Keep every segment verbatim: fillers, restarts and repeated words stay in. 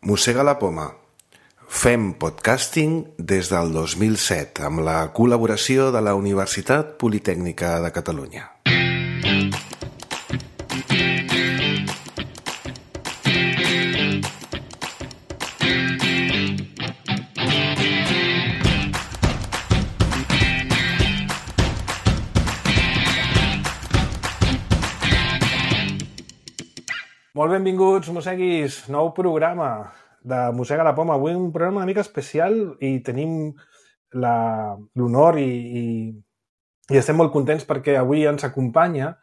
Mossega la poma. Fem podcasting des del dos mil set amb la col·laboració de la Universitat Politècnica de Catalunya. Molt benvinguts, mosseguis, nou programa de Mossega la poma. Avui un programa una mica especial i tenim l'honor i, i, i estem molt contents perquè avui ens acompanya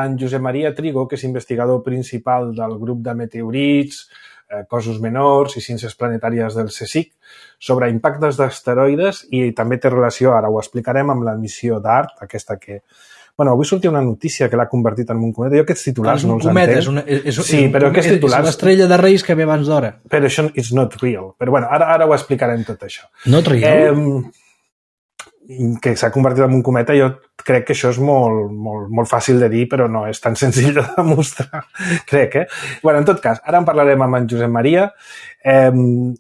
en Josep Maria Trigo, que és investigador principal del grup de meteorits, eh, cossos menors i ciències planetàries del CSIC, sobre impactes d'asteroides i també té relació, ara ho explicarem, amb la missió DART, aquesta que... Bueno, avui sortia una notícia que l'ha convertit en un cometa. Jo aquests titulars no els entenc. És un cometa, és, és, sí, però aquests titulars... És l'estrella de Reis que ve abans d'hora. Però això és not real. Però bueno, ara, ara ho explicarem tot això. Not real? Eh, que s'ha convertit en un cometa, jo crec que això és molt, molt, molt fàcil de dir, però no és tan senzill de demostrar, crec, eh? Bueno, en tot cas, ara en parlarem amb en Josep Maria eh,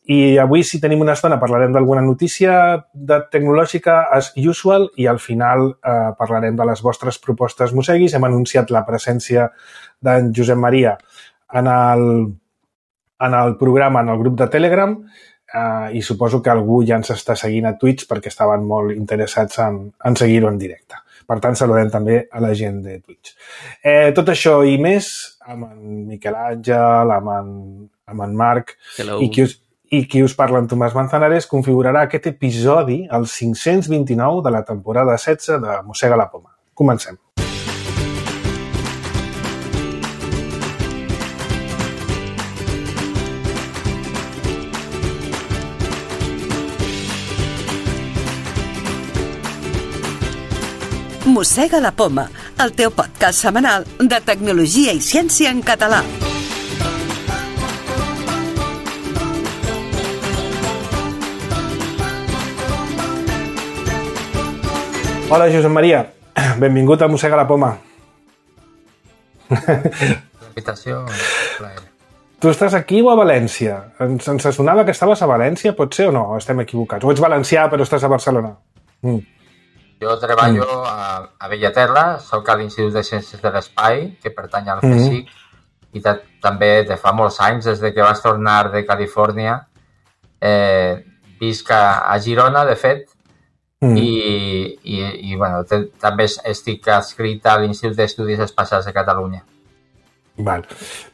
i avui, si tenim una estona, parlarem d'alguna notícia de tecnològica as usual i al final eh, parlarem de les vostres propostes mosseguis. Hem anunciat la presència d'en Josep Maria en el, en el programa, en el grup de Telegram, Uh, i suposo que algú ja ens està seguint a Twitch perquè estaven molt interessats en, en seguir-ho en directe. Per tant, saludem també a la gent de Twitch. Eh, tot això i més amb en Miquel Àngel, amb en, amb en Marc i qui, us, i qui us parla, en Tomàs Manzanares, configurarà aquest episodi, el cinc-cents vint-i-nou de la temporada setze de Mossega la poma. Comencem. Mossega la poma, el teu podcast setmanal de tecnologia i ciència en català. Hola, Josep Maria. Benvingut a Mossega la poma. Invitació, plaer. Tu estàs aquí o a València? Ens, ens sonava que estaves a València, pot ser o no? Estem equivocats. O ets valencià però estàs a Barcelona? Mm. Jo treballo a, a Bellaterra, soc a l'Institut de Ciències de l'Espai, que pertany al CSIC, mm-hmm. i ta, també de fa molts anys, des de que vas tornar de Califòrnia, eh, visc a, a Girona, de fet, mm. i, i, i bueno, te, també estic adscrit a l'Institut d'Estudis Espacials de Catalunya. Val.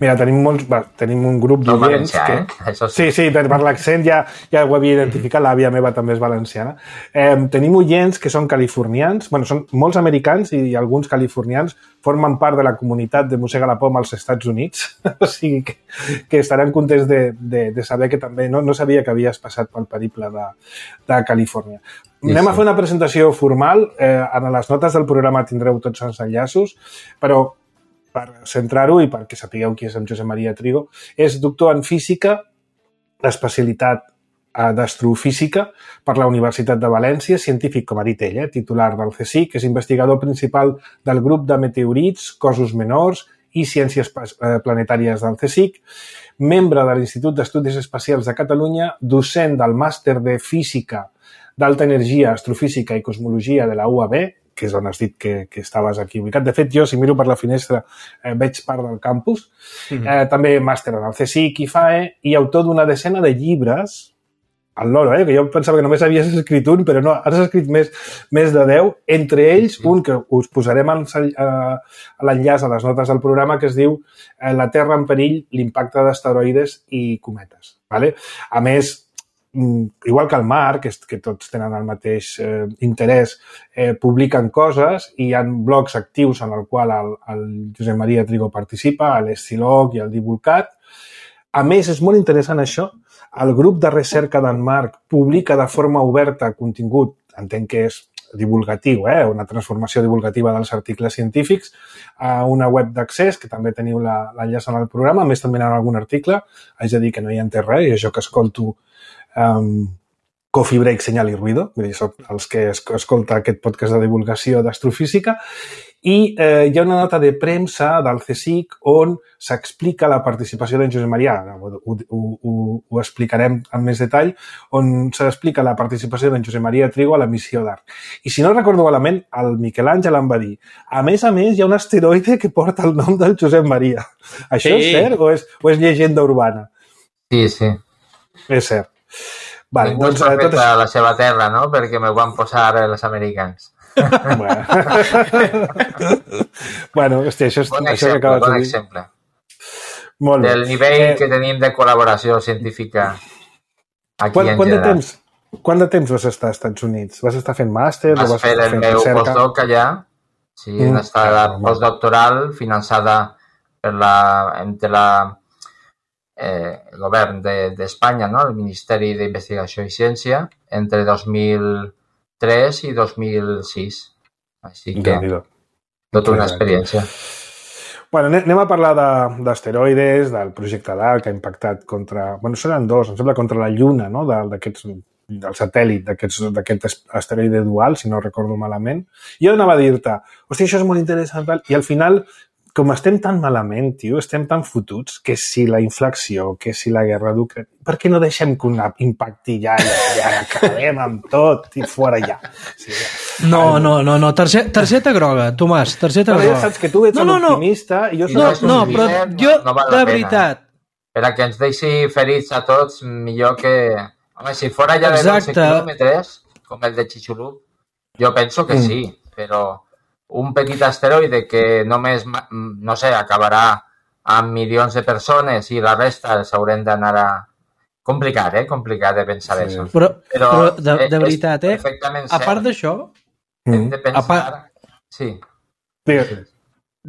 Mira, tenim molts, va, tenim un grup no d'oients que... Eh? Això sí, sí, per, per l'accent ja, ja ho havia identificat, mm-hmm. l'àvia meva també és valenciana. Eh, tenim oients que són californians, bueno, són molts americans i alguns californians formen part de la comunitat de Mossega la poma als Estats Units, o sigui que, que estaran contents de, de, de saber que també no, no sabia que havies passat pel periple de, de Califòrnia. Sí, Anem sí. a fer una presentació formal, eh, en les notes del programa tindreu tots els enllaços, però per centrar-ho i perquè sapigueu qui és en Josep Maria Trigo, és doctor en física, d'especialitat d'astrofísica per la Universitat de València, científic, com ha dit ell, eh, titular del CSIC, és investigador principal del grup de meteorits, cossos menors i ciències planetàries del CSIC, membre de l'Institut d'Estudis Espacials de Catalunya, docent del màster de física d'alta energia, astrofísica i cosmologia de la U A B, que és on has dit que, que estaves aquí ubicat. De fet, jo, si miro per la finestra, eh, veig part del campus. Mm-hmm. Eh, també màster en el CSIC i F A E i autor d'una decena de llibres, al loro, eh, que jo pensava que només havies escrit un, però no, has escrit més, més de deu, entre ells sí. un que us posarem a l'enllaç a les notes del programa que es diu eh, La Terra en perill, l'impacte d'asteroides i cometes. Vale? A més, igual que el Marc, que, que tots tenen el mateix eh, interès, eh, publiquen coses i hi ha blogs actius en el qual el, el Josep Maria Trigo participa, l'Estilog i el Divulcat. A més, és molt interessant això, el grup de recerca d'en Marc publica de forma oberta contingut, entenc que és divulgatiu, eh? una transformació divulgativa dels articles científics a una web d'accés, que també teniu l'enllaç en el programa, a més també en algun article, haig de dir que no hi entès res, i això que escolto Um, Coffee Break, Senyal i Ruido, vull dir, són els que escolta aquest podcast de divulgació d'astrofísica, i eh, hi ha una nota de premsa del CSIC on s'explica la participació d'en Josep Maria, ho, ho, ho, ho explicarem amb més detall, on s'explica la participació d'en Josep Maria Trigo a la missió d'Art. I si no recordo malament, el Miquel Àngel em va dir, a més a més hi ha un asteroide que porta el nom del Josep Maria. Això sí. És cert o és, o és llegenda urbana? Sí, sí. És cert. Vale, Ningú doncs, és profeta tot... a la seva terra, no? Perquè me'l van posar els americans. Bueno, bueno hòstia, això és... Bon això exemple, que bon de exemple. Molt bé. Del nivell eh... que tenim de col·laboració científica aquí quan, en quant general. De temps, quant de temps vas estar als Estats Units? Vas estar fent màster? Vas, o vas fer el meu postdoc allà, sí, mm. una estada postdoctoral finançada per la, entre la, eh, el govern d'Espanya, de, no? El Ministeri d'Investigació i Ciència, entre dos mil tres i dos mil sis. Així que, tota una experiència. Bueno, anem a parlar d'asteroides, de, del projecte d'A que ha impactat contra... Bueno, seran dos, em sembla, contra la Lluna, no? d'aquests del satèl·lit d'aquest asteroide dual, si no recordo malament. Jo anava a dir-te, hòstia, això és molt interessant, i al final, com estem tan malament, tio, estem tan fotuts, que si la inflació, que si la guerra d'Ucraïna... Per què no deixem que una impacti ja, ja, ja acabem amb tot i fora ja? Sí, ja. No, no, no, no. Targeta, targeta groga, Tomàs, targeta no, groga. Ja saps que tu ets no, no, l'optimista no. i jo soc... No, no, però jo, no val de veritat... Per a que ens deixi ferits a tots, millor que... Home, si fora ja de dotze quilòmetres, com el de Chicxulub, jo penso que mm. sí, però un petit asteroide que només, no sé, acabarà amb milions de persones i la resta els haurem d'anar a... Complicat, eh? Complicat de pensar sí. Això. Però, però, però de, de veritat, eh? A part d'això... Hem de pensar... Part... Sí. sí.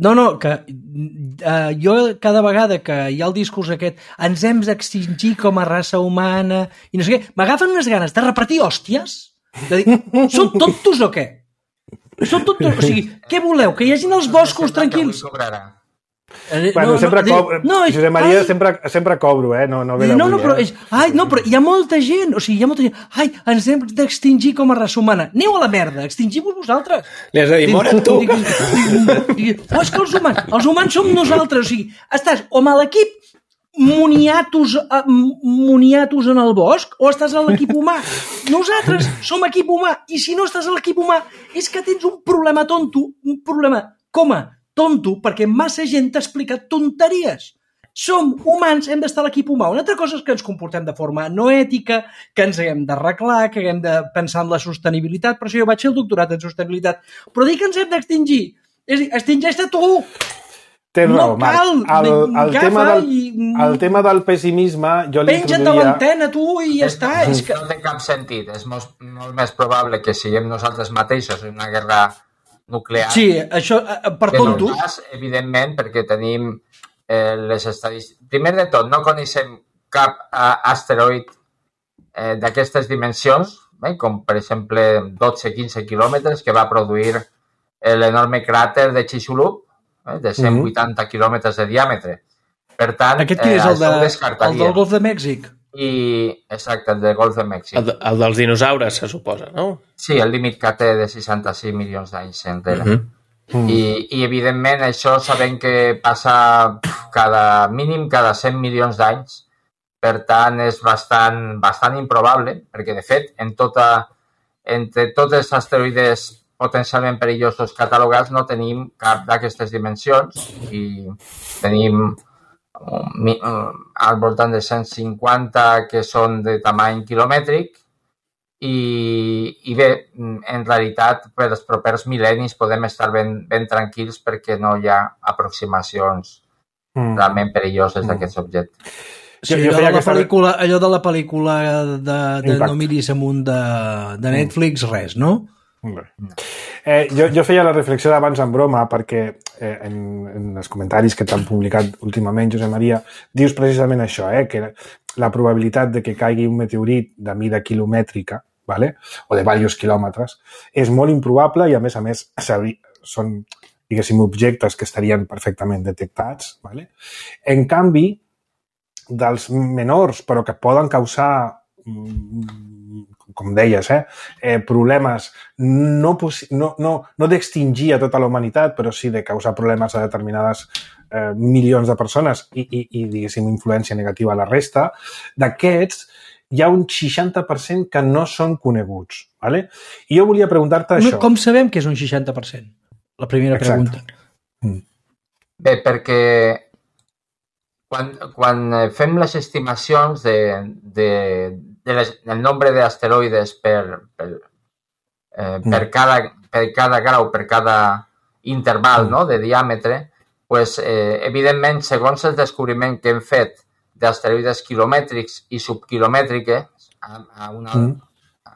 No, no, que uh, jo cada vegada que hi ha el discurs aquest ens hem d'extingir com a raça humana i no sé què, m'agafen unes ganes de repartir hòsties, de dir, som tontos o què? Som tontos, o sigui, què voleu? Que hi hagin els boscos tranquils? Bueno, no, sempre no, cobro, no, és, Josep Maria ai, sempre, sempre cobro, eh? No, no ve d'avui, no, no, però, eh? és, ai, no, però hi ha molta gent, o sigui, hi ha molta gent, ai, ens hem d'extingir com a raça humana. Aneu a la merda, extingim-vos vosaltres. Li has de dir, mora't tu. Oh, és que els humans, els humans som nosaltres, o sigui, estàs o amb l'equip moniatos, moniatos en el bosc o estàs a l'equip humà. Nosaltres som equip humà i si no estàs a l'equip humà és que tens un problema tonto, un problema, coma, tonto, perquè massa gent t'ha explicat tonteries. Som humans, hem d'estar a l'equip humà. Una altra cosa és que ens comportem de forma no ètica, que ens haguem d'arreglar, que haguem de pensar en la sostenibilitat, per això jo vaig fer el doctorat en sostenibilitat. Però dir que ens hem d'extingir, és dir, extingeix-te tu! Tens no raó, Marc. cal, el, el, tema del, i... el tema del pessimisme jo l'introduïa... Penja't de l'antena, tu, i ja està. És que... No té cap sentit. És molt, molt més probable que siguem nosaltres mateixos en una guerra nuclear. Sí, això per tonto. Cas, evidentment, perquè tenim eh, les estadístiques... Primer de tot, no coneixem cap eh, asteroid eh, d'aquestes dimensions, eh, com per exemple dotze a quinze quilòmetres que va produir l'enorme cràter de Chicxulub, eh, de cent vuitanta mm-hmm. quilòmetres de diàmetre. Per tant, aquest qui és el, de, el del Golf de Mèxic? I, exacte, el del Golf de Mèxic. El, el dels dinosaures, se suposa, no? Sí, el límit que té de seixanta-sis milions d'anys enrere. Mm-hmm. Mm. I, I, evidentment, això sabem que passa cada mínim cada cent milions d'anys. Per tant, és bastant, bastant improbable, perquè, de fet, en tota, entre tots els asteroides potencialment perillosos catalogats no tenim cap d'aquestes dimensions i tenim al voltant de cent cinquanta que són de tamany quilomètric i, i bé, en realitat per els propers mil·lennis podem estar ben, ben tranquils perquè no hi ha aproximacions mm. realment perilloses mm. d'aquests objectes. Sí, allò, de la pel·lícula, allò de la pel·lícula de, de No miris amunt de, de Netflix, mm. res, no? Eh, jo, jo feia la reflexió d'abans en broma perquè eh, en, en els comentaris que t'han publicat últimament, Josep Maria, dius precisament això, eh, que la probabilitat de que caigui un meteorit de mida quilomètrica, vale? O de diversos quilòmetres, és molt improbable i a més a més són, diguéssim, objectes que estarien perfectament detectats. Vale? En canvi, dels menors però que poden causar com deies, eh, eh, problemes no, no, no, no d'extingir a tota la humanitat, però sí de causar problemes a determinades eh, milions de persones i, i, i, diguéssim, influència negativa a la resta, d'aquests hi ha un seixanta per cent que no són coneguts. ¿Vale? I jo volia preguntar-te això. Com sabem que és un seixanta per cent? La primera pregunta. Mm. Bé, perquè quan, quan fem les estimacions de, de, de les, del nombre d'asteroides per, per, eh, per, mm. cada, per cada grau, per cada interval mm. no, de diàmetre, pues, eh, evidentment, segons el descobriment que hem fet d'asteroides quilomètrics i subquilomètriques a, a una, mm.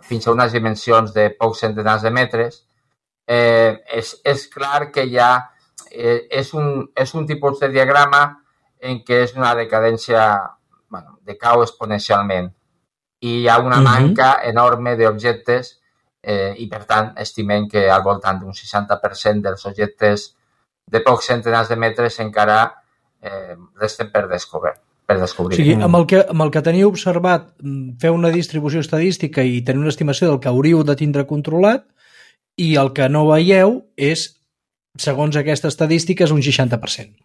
fins a unes dimensions de pocs centenars de metres, eh, és, és clar que ja eh, és, un, és un tipus de diagrama en què és una decadència, bueno, decau exponencialment i hi ha una mm-hmm. manca enorme d'objectes eh, i, per tant, estimem que al voltant d'un seixanta per cent dels objectes de pocs centenars de metres encara eh, resten per descobert. Per descobrir. O sigui, amb el, que, amb el que teniu observat, fer una distribució estadística i tenir una estimació del que hauríeu de tindre controlat i el que no veieu és, segons aquesta estadística, és un seixanta per cent.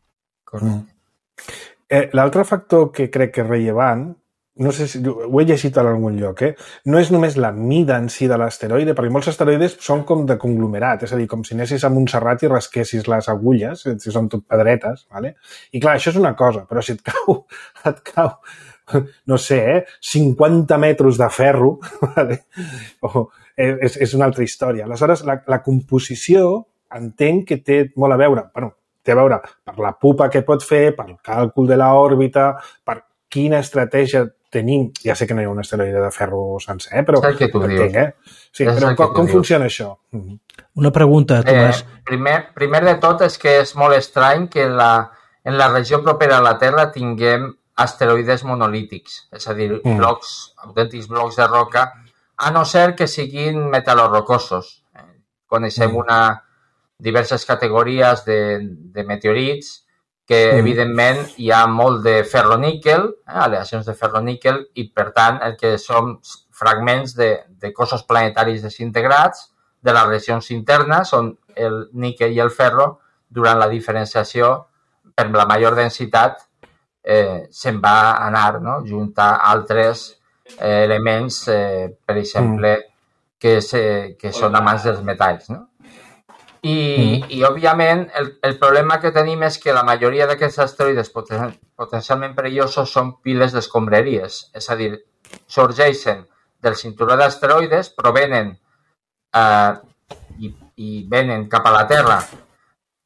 Mm. Eh, L'altre factor que crec que és rellevant, no sé si ho he llegit en algun lloc, eh? No és només la mida en si de l'asteroide, perquè molts asteroides són com de conglomerat, és a dir, com si anessis a Montserrat i rasquessis les agulles, si són tot pedretes, ¿vale? I clar, això és una cosa, però si et cau, et cau, no sé, eh? cinquanta metres de ferro, ¿vale? O, és, és una altra història. Aleshores, la, la composició entenc que té molt a veure, bueno, té a veure per la pupa que pot fer, per el càlcul de l'òrbita, per quina estratègia tenim, ja sé que no hi ha un asteroide de ferro sencer, però és el que tu dius. Entenc, eh? Sí, és però com, com funciona això? Una pregunta, Tomàs. Eh, primer, primer de tot és que és molt estrany que en la, en la regió propera a la Terra tinguem asteroides monolítics, és a dir, mm. blocs, autèntics blocs de roca, a no ser que siguin metal·lorocosos. Coneixem mm. una, diverses categories de, de meteorits que, mm. evidentment, hi ha molt de ferro-níquel, eh, aleacions de ferro-níquel, i, per tant, el que són fragments de, de cossos planetaris desintegrats de les regions internes, on el níquel i el ferro, durant la diferenciació, per la major densitat, eh, se'n va anar, no?, junt a altres eh, elements, eh, per exemple, mm. que, se, que són amants dels metalls, no? I, mm. i òbviament, el, el problema que tenim és que la majoria d'aquests asteroides poten, potencialment perillosos són piles d'escombraries. És a dir, sorgeixen del cinturó d'asteroides, provenen eh, i, i venen cap a la Terra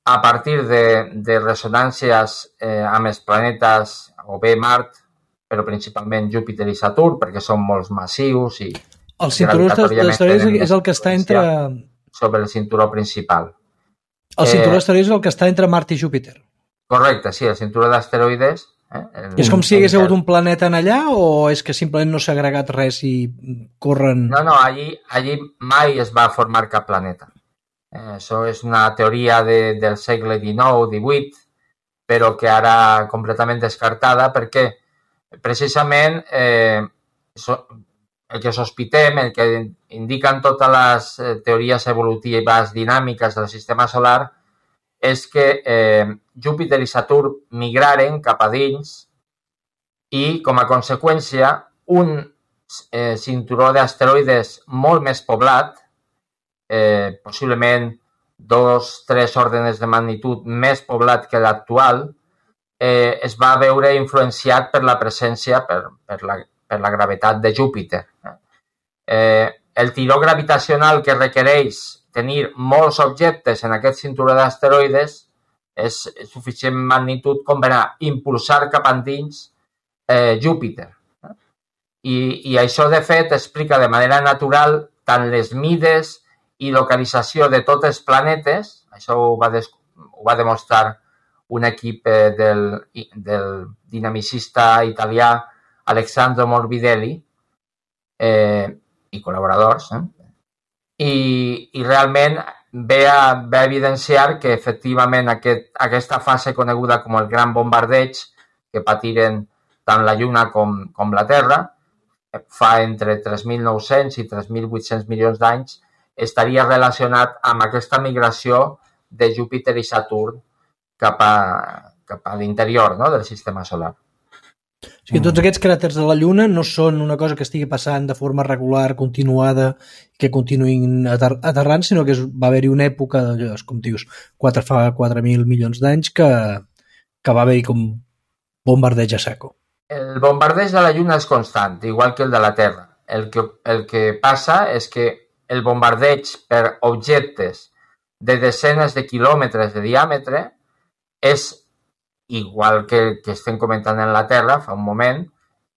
a partir de, de resonàncies eh, amb els planetes, o bé Mart, però principalment Júpiter i Saturn, perquè són molt massius i... El cinturó d'asteroides és el que està entre... sobre el cinturó principal. El cinturó eh, d'asteroides és el que està entre Mart i Júpiter. Correcte, sí, el cinturó d'asteroides... Eh, el, és com si hi hagués hagut un planeta en allà o és que simplement no s'ha agregat res i corren... No, no, allí, allí mai es va formar cap planeta. Eh, això és una teoria de, del segle dinou divuit, però que ara completament descartada perquè precisament eh, so, el que sospitem, el que indiquen totes les eh, teories evolutives dinàmiques del sistema solar és que eh, Júpiter i Saturn migraren cap a dins i, com a conseqüència, un eh, cinturó d'asteroides molt més poblat, eh, possiblement dos, tres òrdenes de magnitud més poblat que l'actual, eh, es va veure influenciat per la presència, per, per la per la gravetat de Júpiter. Eh, el tiró gravitacional que requereix tenir molts objectes en aquest cinturó d'asteroides és suficient magnitud com per a impulsar cap endins eh, Júpiter. I, I això, de fet, explica de manera natural tant les mides i localització de tots els planetes, això ho va, des, ho va demostrar un equip eh, del, del dinamicista italià Alessandro Morbidelli eh, i col·laboradors, eh? I, i realment ve a, ve a evidenciar que efectivament aquest, aquesta fase coneguda com el gran bombardeig que patiren tant la Lluna com, com la Terra fa entre tres mil nou-cents i tres mil vuit-cents milions d'anys, estaria relacionat amb aquesta migració de Júpiter i Saturn cap a, cap a l'interior, no?, del sistema solar. O sigui, tots aquests cràters de la Lluna no són una cosa que estigui passant de forma regular, continuada, que continuïn ater aterrant, sinó que va haver-hi una època, com dius, quatre, fa quatre mil milions d'anys, que, que va haver-hi com bombardeig a saco. El bombardeig de la Lluna és constant, igual que el de la Terra. El que, el que passa és que el bombardeig per objectes de desenes de quilòmetres de diàmetre és igual que, que estem comentant en la Terra fa un moment,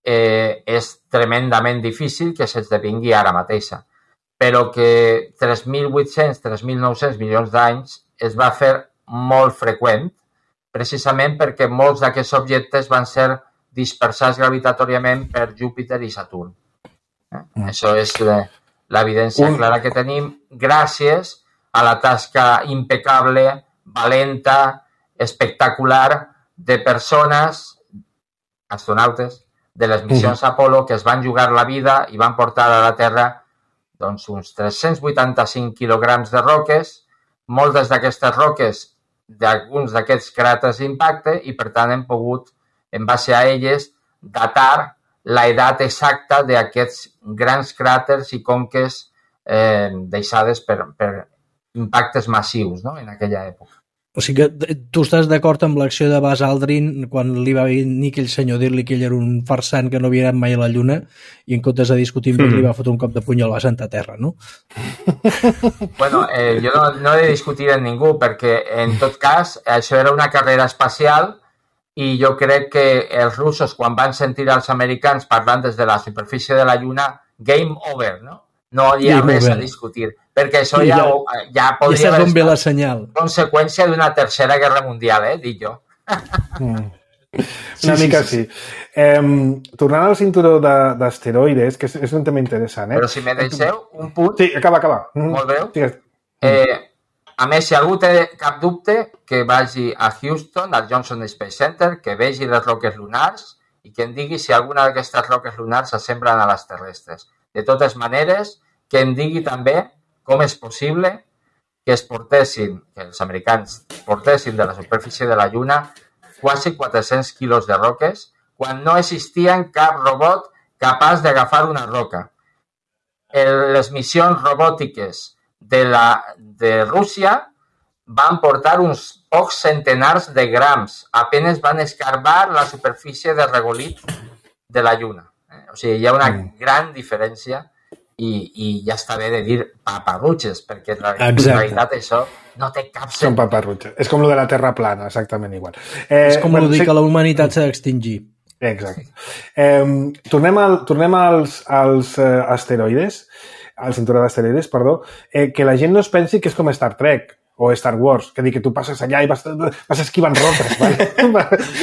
eh, és tremendament difícil que s'esdevingui ara mateixa. Però que tres mil vuit-cents a tres mil nou-cents milions d'anys es va fer molt freqüent, precisament perquè molts d'aquests objectes van ser dispersats gravitatòriament per Júpiter i Saturn. Eh? Mm. Això és l'evidència Un... clara que tenim gràcies a la tasca impecable, valenta, espectacular de persones, astronautes, de les missions Apolo que es van jugar la vida i van portar a la Terra doncs, uns tres-cents vuitanta-cinc quilograms de roques, moltes d'aquestes roques d'alguns d'aquests cràters d'impacte i, per tant, hem pogut, en base a elles, datar la edat exacta d'aquests grans cràters i conques eh, deixades per, per impactes massius, no?, en aquella època. O sigui que tu estàs d'acord amb l'acció de Buzz Aldrin quan li va venir aquell senyor dir-li que ell era un farsant que no havia anat mai a la Lluna i en comptes de discutir amb ell mm. li va fotre un cop de puny al va Santa Terra, no? Bueno, eh, jo no, no he de discutir amb ningú perquè en tot cas això era una carrera espacial i jo crec que els russos quan van sentir els americans parlant des de la superfície de la Lluna, game over, no? No hi ha game res over. A discutir, perquè això ja, ja, ja podria ja haver la senyal. Conseqüència d'una tercera guerra mundial, eh, dic jo. Mm. Sí, una sí, mica sí. sí. Eh, tornant al cinturó d'asteroides, que és, és un tema interessant. Eh? Però si me deixeu un punt... Sí, acaba, acaba. Molt breu. Sí. Eh, a més, si algú té cap dubte, que vagi a Houston, al Johnson Space Center, que vegi les roques lunars i que em digui si alguna d'aquestes roques lunars s'assemblen a les terrestres. De totes maneres, que em digui també com és possible que es portessin, que els americans portessin de la superfície de la Lluna quasi quatre-cents quilos de roques quan no existien cap robot capaç d'agafar una roca. El, les missions robòtiques de, la, de Rússia van portar uns pocs centenars de grams. Apenas van escarbar la superfície de regolit de la Lluna. O sigui, hi ha una gran diferència i, i ja està bé de dir paparrutxes, perquè la, en realitat això no té cap sentit. Són paparrutxes. És com lo de la Terra plana, exactament igual. Eh, és com bueno, dir sí... que la humanitat s'ha d'extingir. Exacte. Eh, tornem al, tornem als, als uh, asteroides, al cinturó d'asteroides, perdó, eh, que la gent no es pensi que és com Star Trek o Star Wars, que dir que tu passes allà i vas, vas esquivant roques, vale?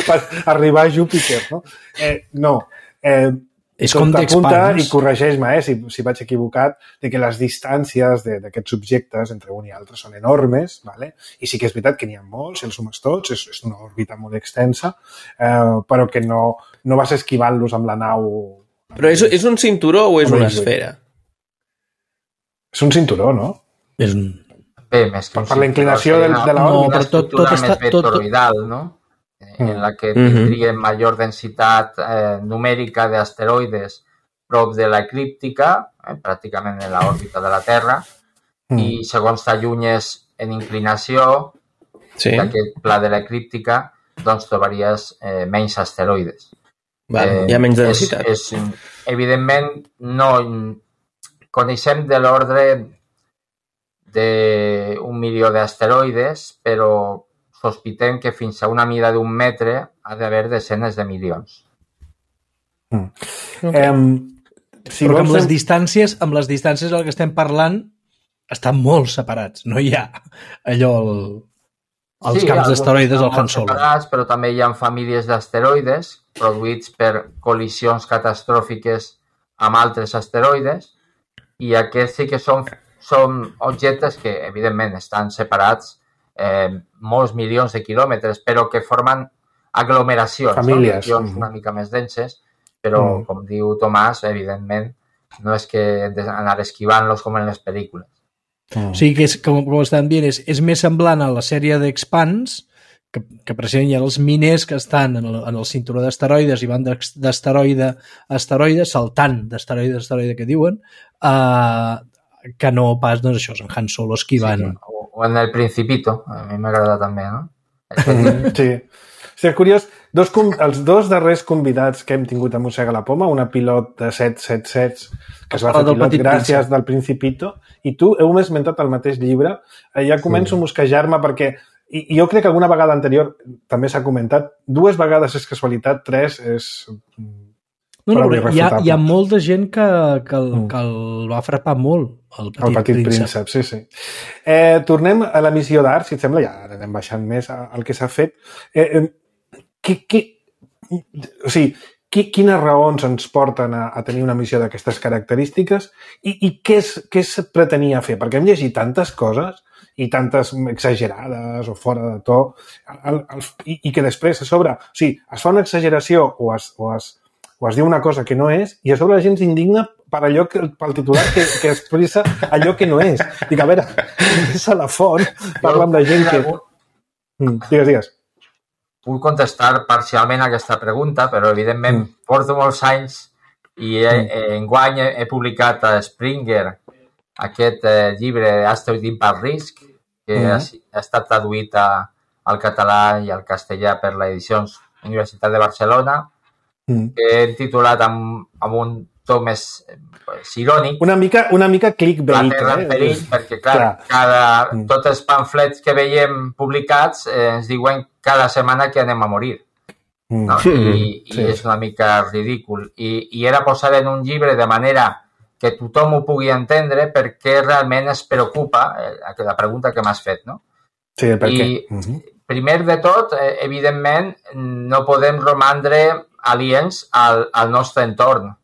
per arribar a Júpiter, no? Eh, no. Eh, és com t'apunta i corregeix-me eh, si, si vaig equivocat, de que les distàncies d'aquests objectes entre un i altre són enormes, vale? I sí que és veritat que n'hi ha molts, si els sumes tots, és, és una òrbita molt extensa, eh, però que no, no vas esquivant-los amb la nau... Però és, és un cinturó o és una esfera? És un cinturó, no? És un... Bé, més que per la inclinació de, de l'òrbita. No, però tot, tot està... Més toroidal, no? En la que tindríem mm-hmm. major densitat eh, numèrica d'asteroides prop de l'eclíptica, eh, pràcticament en l'òrbita de la Terra, mm. i segons t'allunyes en inclinació sí. d'aquest pla de l'eclíptica, doncs trobaries eh, menys asteroides. Vale, eh, hi ha menys densitat. És, és, evidentment, no coneixem de l'ordre d'un milió d'asteroides, però sospitem que fins a una mida d'un metre ha d'haver desenes de milions. Mm. Okay. Um, si Però amb les distàncies, amb les distàncies del que estem parlant estan molt separats. No hi ha allò el, els sí, camps d'asteroides al Han Solo. Separats, però també hi ha famílies d'asteroides produïts per col·lisions catastròfiques amb altres asteroides i aquests sí que són, són objectes que, evidentment, estan separats Eh, molts milions de quilòmetres, però que formen aglomeracions, famílies, no? Regions una mica més denses, però, Mm. com diu Tomàs, evidentment, no és que hem d'anar esquivant-los com en les pel·lícules. Mm. O sigui que, és, com, com estan dient, és, és més semblant a la sèrie d'Expanse, que, que precisament hi ha els miners que estan en el, en el cinturó d'asteroides i van d'ex- d'asteroide a asteroide, saltant d'asteroide a asteroide que diuen, uh, que no pas, doncs això, en Han Solo esquivant. Sí, o, o en El Principito, a mi m'agrada també, no? Mm, sí. Sí, curiós, dos, com- els dos darrers convidats que hem tingut a Mossega la Poma, una pilot de set set set que es va fer Del pilot Petit gràcies Príncep. del Principito, i tu heu esmentat el mateix llibre. Eh, ja començo a mosquejar-me perquè, i, i jo crec que alguna vegada anterior també s'ha comentat, dues vegades és casualitat, tres és... No, no, prou però hi ha, irrefutable. hi ha molta gent que, que, el, Mm. que el va frapar molt, el Petit, El Petit Príncep. Príncep, sí, sí. Eh, tornem a la missió d'art, si et sembla, ja anem baixant més al que s'ha fet. Eh, eh, qui, qui, o sigui, qui, quines raons ens porten a, a tenir una missió d'aquestes característiques i, i què, es, què es pretenia fer? Perquè hem llegit tantes coses i tantes exagerades o fora de to el, el, i, i que després a sobre, o sigui, es fa una exageració o es, o es, o es diu una cosa que no és i a sobre la gent s'indigna per allò que, pel titular que, que expressa allò que no és. Dic, a veure, és a la font, parla amb la gent que... Mm, digues, digues. Puc contestar parcialment a aquesta pregunta, però evidentment Mm. porto molts anys i he, eh, enguany he, he publicat a Springer aquest eh, llibre Asteroid Impact Risk, que Mm. ha, ha estat traduït a, al català i al castellà per l'edició Universitat de Barcelona, Mm. que he titulat amb, amb un to més eh, pues, irònic, Una mica, una mica La clickbait, Terra en perill, eh? perquè clar, Clar. cada, Mm. tots els pamflets que veiem publicats eh, ens diuen cada setmana que anem a morir. Mm. No? I, Sí. i és una mica ridícul. I, I era posar en un llibre de manera que tothom ho pugui entendre perquè realment es preocupa eh, la pregunta que m'has fet, no? Sí, el per I què. Mhm. primer de tot, eh, evidentment, no podem romandre aliens al, al nostre entorn.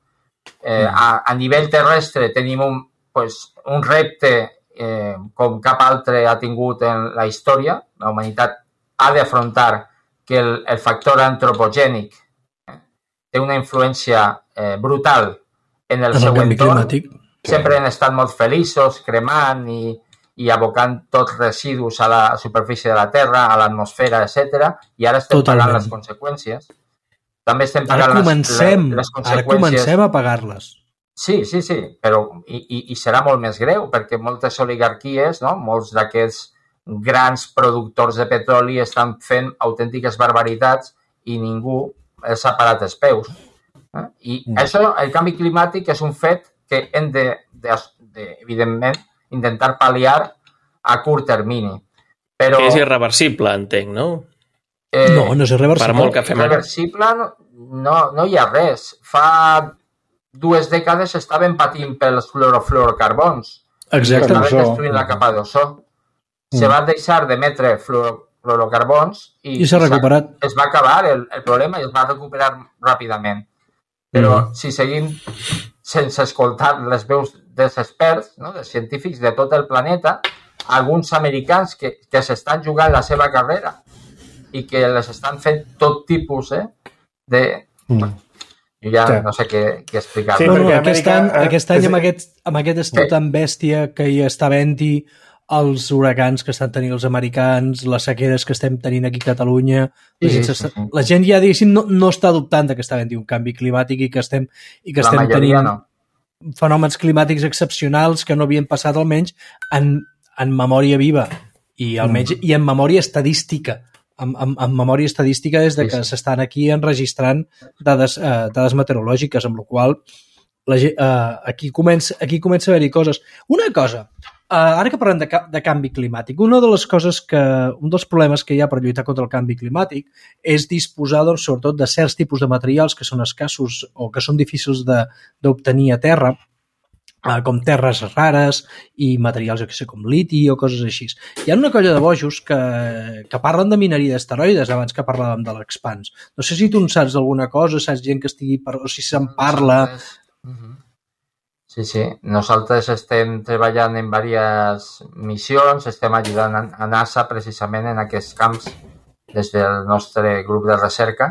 Eh, a, a nivell terrestre tenim un, pues, un repte eh, com cap altre ha tingut en la història. La humanitat ha d'afrontar que el, el factor antropogènic eh, té una influència eh, brutal en el En el seu canvi entorn. climàtic. Sempre han estat molt feliços, cremant i, i abocant tots residus a la superfície de la Terra, a l'atmosfera, etcètera. I ara estem Totalment. pagant les conseqüències. També estem Ara pagant comencem, les, les ara conseqüències. comencem a pagar-les. Sí, sí, sí, però i, i, i serà molt més greu perquè moltes oligarquies, no? Molts d'aquests grans productors de petroli estan fent autèntiques barbaritats i ningú els ha parat els peus. Eh? I mm. això, el canvi climàtic, és un fet que hem de, de, de evidentment, intentar pal·liar a curt termini. Però, Que és irreversible, entenc, no? eh, No, no és irreversible. Per molt que fem ara. Irreversible no, no, no hi ha res. Fa dues dècades estaven patint pels fluorofluorocarbons. Exacte. L'ozó. Estaven destruint la capa d'ozó. Se va deixar d'emetre fluoro- fluorocarbons i, I s'ha recuperat. es va acabar el, el problema i es va recuperar ràpidament. Però mm. si seguim sense escoltar les veus dels experts, no, dels científics de tot el planeta, alguns americans que, que s'estan jugant la seva carrera i que les estan fent tot tipus eh, de... Mm. Jo ja Sí. no sé què, què explicar. Sí, No, no, perquè aquest Amèrica, any, eh, aquest any és- amb aquest, amb aquest estiu tan bèstia que hi està havent-hi, els huracans que estan tenint els americans, les sequeres que estem tenint aquí a Catalunya, la Sí, gent, sí, s'està- sí. la gent ja, diguéssim, no, no està dubtant de que està havent-hi un canvi climàtic i que estem, i que La estem majoria tenint no. fenòmens climàtics excepcionals que no havien passat almenys en, en memòria viva i almenys i en memòria estadística. En, en, en memòria estadística des de Sí, que sí. s'estan aquí enregistrant dades, eh, dades meteorològiques, amb la qual la, ge- eh, aquí, comença, aquí comença a haver-hi coses. Una cosa, eh, ara que parlem de, ca- de canvi climàtic, una de les coses que, un dels problemes que hi ha per lluitar contra el canvi climàtic és disposar, doncs, sobretot, de certs tipus de materials que són escassos o que són difícils de- d'obtenir a terra, eh, com terres rares i materials, jo què sé, com liti o coses així. Hi ha una colla de bojos que, que parlen de mineria d'asteroides abans que parlàvem de l'Expanse. No sé si tu en saps alguna cosa, saps gent que estigui... Per... o si se'n parla... Nosaltres- Mhm. Sí, sí. Nosaltres estem treballant en diverses missions, estem ajudant a- a NASA precisament en aquests camps des del nostre grup de recerca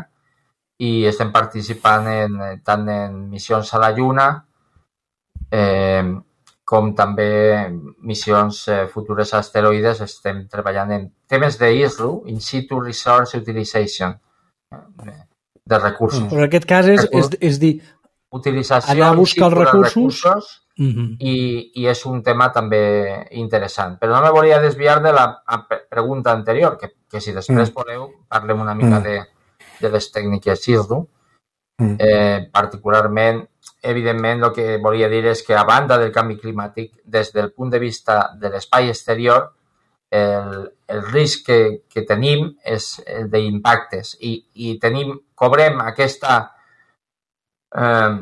i estem participant en, tant en missions a la Lluna eh, com també missions eh, futures a asteroides. Estem treballant en temes d'I S R U, In Situ Resource Utilization, eh, de recursos. Però en aquest cas és, és, és dir, utilització anar a buscar els recursos, recursos uh-huh. i, i és un tema també interessant. Però no me volia desviar de la pregunta anterior, que, que si després mm. voleu parlem una mica mm. de, de les tècniques I S R U. Mm. Eh, particularment, evidentment, el que volia dir és que a banda del canvi climàtic, des del punt de vista de l'espai exterior, el, el risc que, que tenim és el d'impactes i, i tenim, cobrem aquesta Eh,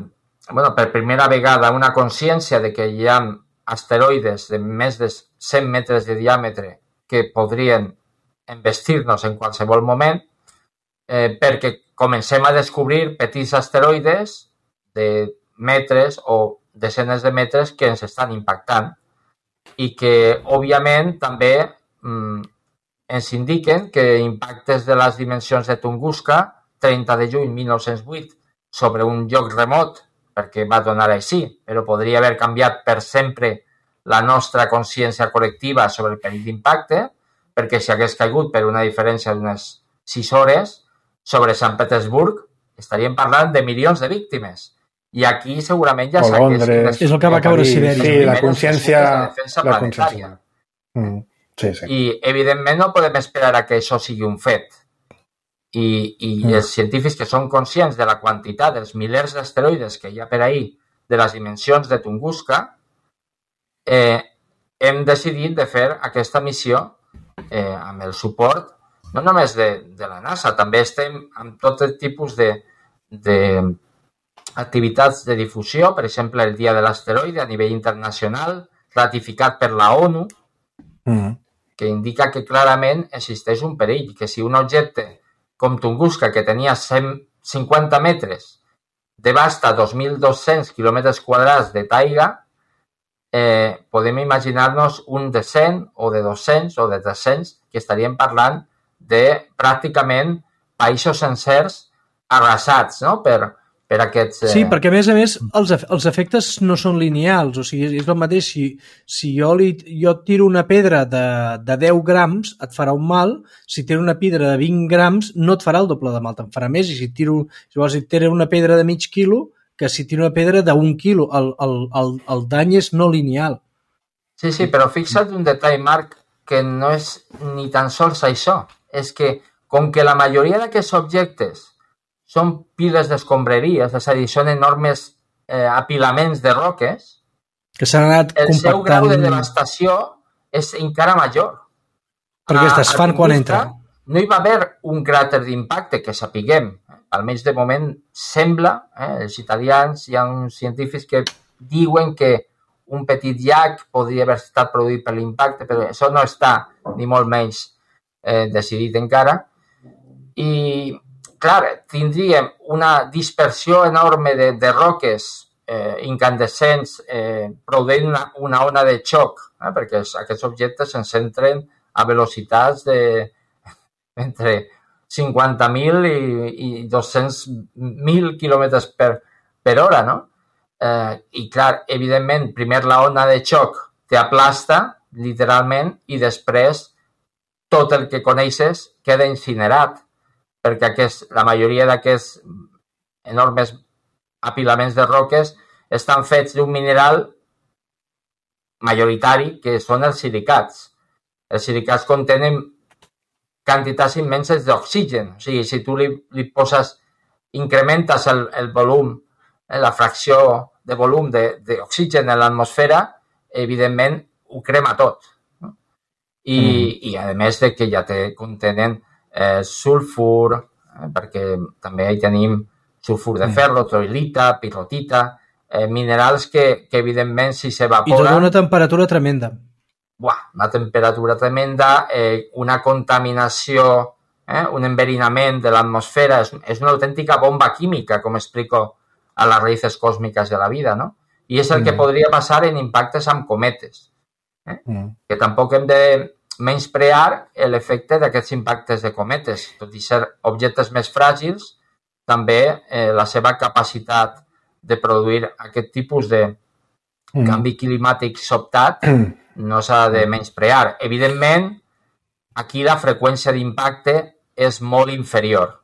bueno, per primera vegada una consciència de que hi ha asteroides de més de cent metres de diàmetre que podrien embestir-nos en qualsevol moment eh, perquè comencem a descobrir petits asteroides de metres o desenes de metres que ens estan impactant i que, òbviament, també mm, ens indiquen que impactes de les dimensions de Tunguska, trenta de juny de mil nou-cents vuit, sobre un lloc remot, perquè va donar així, però podria haver canviat per sempre la nostra consciència col·lectiva sobre el perill d'impacte, perquè si hagués caigut per una diferència d'unes sis hores sobre Sant Petersburg, estaríem parlant de milions de víctimes. I aquí segurament ja s'hagués... És el que va caure a Sibèria. Sí, la consciència... La consciència. Mm, sí, sí. I, evidentment, no podem esperar a que això sigui un fet. I, i mm. els científics que són conscients de la quantitat dels milers d'asteroides que hi ha per ahir, de les dimensions de Tunguska, eh, hem decidit de fer aquesta missió eh, amb el suport, no només de, de la NASA, també estem amb tot el tipus de, de activitats de difusió, per exemple, el Dia de l'Asteroide a nivell internacional, ratificat per la ONU, mm. que indica que clarament existeix un perill, que si un objecte com Tunguska, que tenia cent cinquanta metres, devasta dos mil dos-cents quilòmetres quadrats de taiga, eh, podem imaginar-nos un de cent o de dos-cents o de tres-cents, que estaríem parlant de pràcticament països sencers arrasats, no?, per, per aquests... Eh... Sí, perquè a més a més els, els efectes no són lineals, o sigui, és el mateix, si, si jo, li, jo tiro una pedra de, de deu grams et farà un mal, si tiro una pedra de vint grams no et farà el doble de mal, te'n farà més, i si tiro, si vols, si tiro una pedra de mig quilo, que si tiro una pedra d'un quilo, el, el, el, el dany és no lineal. Sí, sí, però fixa't un detall, Marc, que no és ni tan sols això, és que com que la majoria d'aquests objectes són piles d'escombraries, és a dir, són enormes eh, apilaments de roques, que s'han anat el compactant... seu grau de devastació és encara major. Perquè es desfan quan entren. No hi va haver un cràter d'impacte, que sapiguem, almenys de moment sembla, eh, els italians, hi ha uns científics que diuen que un petit llac podria haver estat produït per l'impacte, però això no està ni molt menys eh, decidit encara. I clar, tindríem una dispersió enorme de, de roques eh, incandescents eh, produint una, una ona de xoc, eh, perquè aquests objectes se'n centren a velocitats de entre cinquanta mil i, i dos-cents mil quilòmetres per, per hora, no? Eh, I clar, evidentment, primer la ona de xoc t'aplasta, literalment, i després tot el que coneixes queda incinerat, perquè aquest, la majoria d'aquests enormes apilaments de roques estan fets d'un mineral majoritari, que són els silicats. Els silicats contenen quantitats immenses d'oxigen. O sigui, si tu li, li poses, incrementes el, el volum, la fracció de volum d'oxigen en l'atmosfera, evidentment ho crema tot. No? I, mm. I a més de que ja te contenen Eh, sulfur, eh, perquè també hi tenim sulfur de ferro, troilita, pirrotita, eh, minerals que, que evidentment si s'evaporen... I tot una temperatura tremenda. Buah, una temperatura tremenda, eh, una contaminació, eh, un enverinament de l'atmosfera, és, és una autèntica bomba química, com explico a les raïces còsmiques de la vida, no? I és el mm. que podria passar en impactes amb cometes, eh? mm. que tampoc hem de menysprear l'efecte d'aquests impactes de cometes. Tot i ser objectes més fràgils, també eh, la seva capacitat de produir aquest tipus de mm. canvi climàtic sobtat no s'ha de menysprear. Evidentment, aquí la freqüència d'impacte és molt inferior.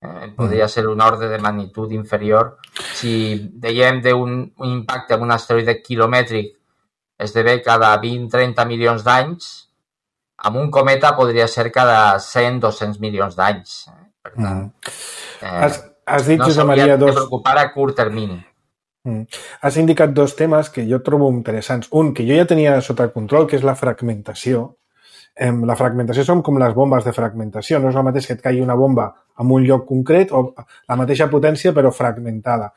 Eh, podria ser un ordre de magnitud inferior. Si dèiem d'un impacte amb un asteroide quilomètric esdevé cada vint a trenta milions d'anys, amb un cometa podria ser cada cent a dos-cents milions d'anys. Per tant, eh, has, has dit, no s'hauria s'hauria dos... de preocupar a curt termini. Mm. Has indicat dos temes que jo trobo interessants. Un, que jo ja tenia sota control, que és la fragmentació. Eh, la fragmentació són com les bombes de fragmentació. No és el mateix que et caigui una bomba en un lloc concret o la mateixa potència però fragmentada.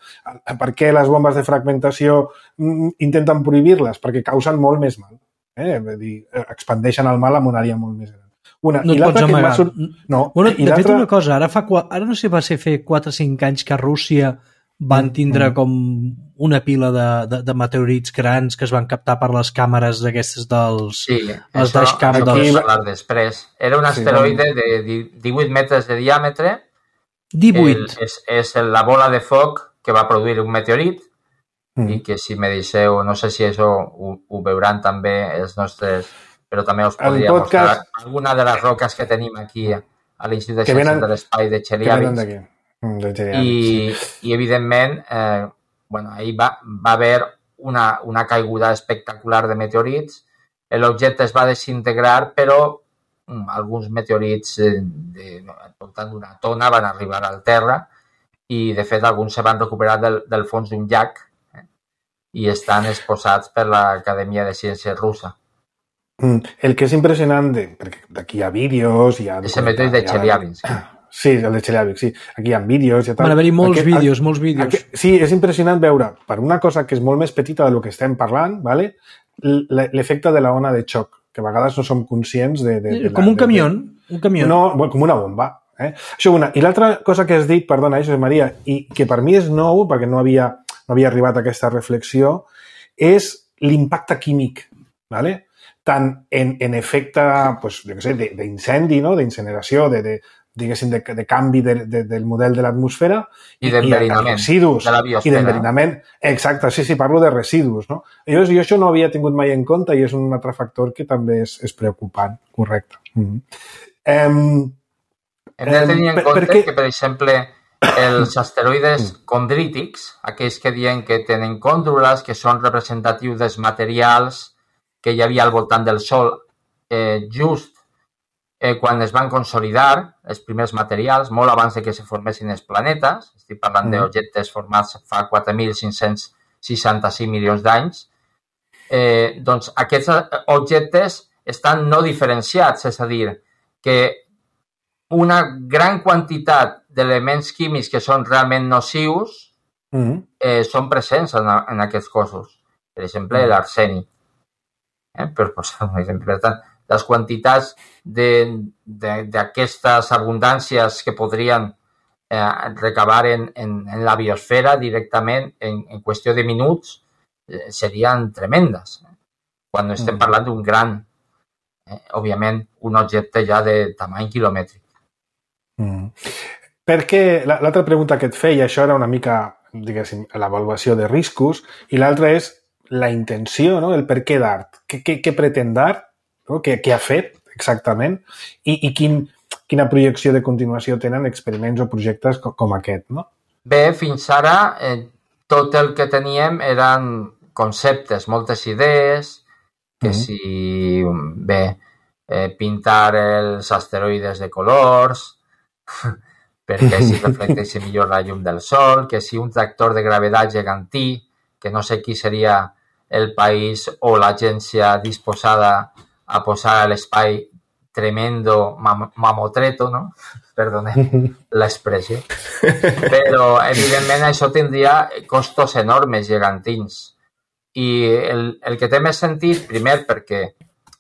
Per què les bombes de fragmentació mm, intenten prohibir-les? Perquè causen molt més mal. Eh? Vull dir, expandeixen el mal en una àrea molt més gran. Una, no i et pots amagar. Sur... No, bueno, i de fet, una cosa, ara, fa, ara no sé, va ser fer quatre o cinc anys que a Rússia van tindre com una pila de, de, de meteorits grans que es van captar per les càmeres d'aquestes dels... Sí, els això, dashcam això dels... parlar després. Era un asteroide sí, de divuit metres de diàmetre. divuit. El, és, és la bola de foc que va produir un meteorit mm. i que si me deixeu, no sé si això ho, ho veuran també els nostres... però també us podria podcast... mostrar alguna de les roques que tenim aquí a l'Institut de Ciències venen... de l'Espai de Chelyabinsk. I, i evidentment eh, bueno, ahir va, va haver una, una caiguda espectacular de meteorits. L'objecte es va desintegrar, però mm, alguns meteorits eh, de, al voltant d'una tona van arribar al terra i de fet alguns se van recuperar del, del fons d'un llac eh, i estan exposats per l'Acadèmia de Ciències russa. Mm, el que és impressionant, de, perquè d'aquí hi ha vídeos... Hi ha és el meteorit de Chelyabinsk. Sí, el de Chelyabinsk, sí. Aquí hi ha vídeos i tal. Van haver-hi molts aquest, vídeos, molts vídeos. Aquest, sí, és impressionant veure, per una cosa que és molt més petita del que estem parlant, ¿vale? L'efecte de la ona de xoc, que a vegades no som conscients de... de, de com la, un camió, de, un camió. No, bueno, com una bomba. Eh? Això una. I l'altra cosa que has dit, perdona, Josep Maria, i que per mi és nou, perquè no havia, no havia arribat a aquesta reflexió, és l'impacte químic, ¿vale? Tant en, en efecte, pues, jo què sé, d'incendi, no? D'incineració, de, de, diguéssim, de, de canvi de, de, del model de l'atmosfera i d'enverinament residus, de la biosfera. I d'enverinament, exacte, sí, sí, parlo de residus, no? Jo, jo això no havia tingut mai en compte i és un altre factor que també és, és preocupant, correcte. Mm-hmm. Um, Hem de tenir en per, compte perquè... que, per exemple, els asteroides condrítics, aquells que diuen que tenen còndrules, que són representatius dels materials que hi havia al voltant del Sol, eh, just eh, quan es van consolidar els primers materials, molt abans de que se formessin els planetes, estic parlant mm. d'objectes formats fa quatre mil cinc-cents seixanta-cinc milions d'anys, eh, doncs aquests objectes estan no diferenciats, és a dir, que una gran quantitat d'elements químics que són realment nocius mm. eh, són presents en, en aquests cossos. Per exemple, mm. l'arsènic. Eh, per posar un exemple. Per tant, les quantitats d'aquestes abundàncies que podrien eh, recabar en, en, en la biosfera directament en, en qüestió de minuts eh, serien tremendes. Quan estem mm. parlant d'un gran, eh, òbviament, un objecte ja de tamany quilomètric. Mm. Perquè l'altra pregunta que et feia, això era una mica, diguéssim, l'avaluació de riscos, i l'altra és la intenció, no? El per què d'art. Què, què, què pretén d'art? No? Què, què ha fet exactament? I, i quin, quina projecció de continuació tenen experiments o projectes com, com aquest, no? Bé, fins ara eh, tot el que teníem eren conceptes, moltes idees, que mm-hmm. si, bé, eh, pintar els asteroides de colors, perquè així reflecteixi millor la llum del Sol, que si un tractor de gravetat gegantí, que no sé qui seria el país o l'agència disposada a posar a l'espai tremendo mam mamotreto, no? Perdoneu l'expressió. Però, evidentment, això tindria costos enormes, gegantins. I el, el que té més sentit, primer, perquè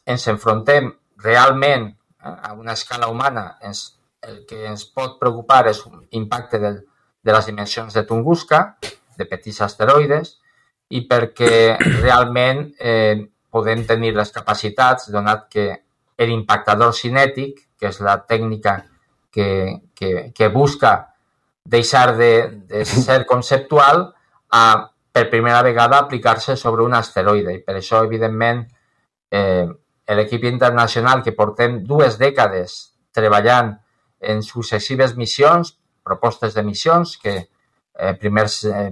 ens enfrontem realment a una escala humana, ens, el que ens pot preocupar és un impacte del, de les dimensions de Tunguska, de petits asteroides, i perquè realment eh, podem tenir les capacitats, donat que l'impactador cinètic, que és la tècnica que, que, que busca deixar de, de ser conceptual a, per primera vegada, aplicar-se sobre un asteroide. I per això, evidentment, eh, l'equip internacional, que portem dues dècades treballant en successives missions, propostes de missions, que eh, primers eh,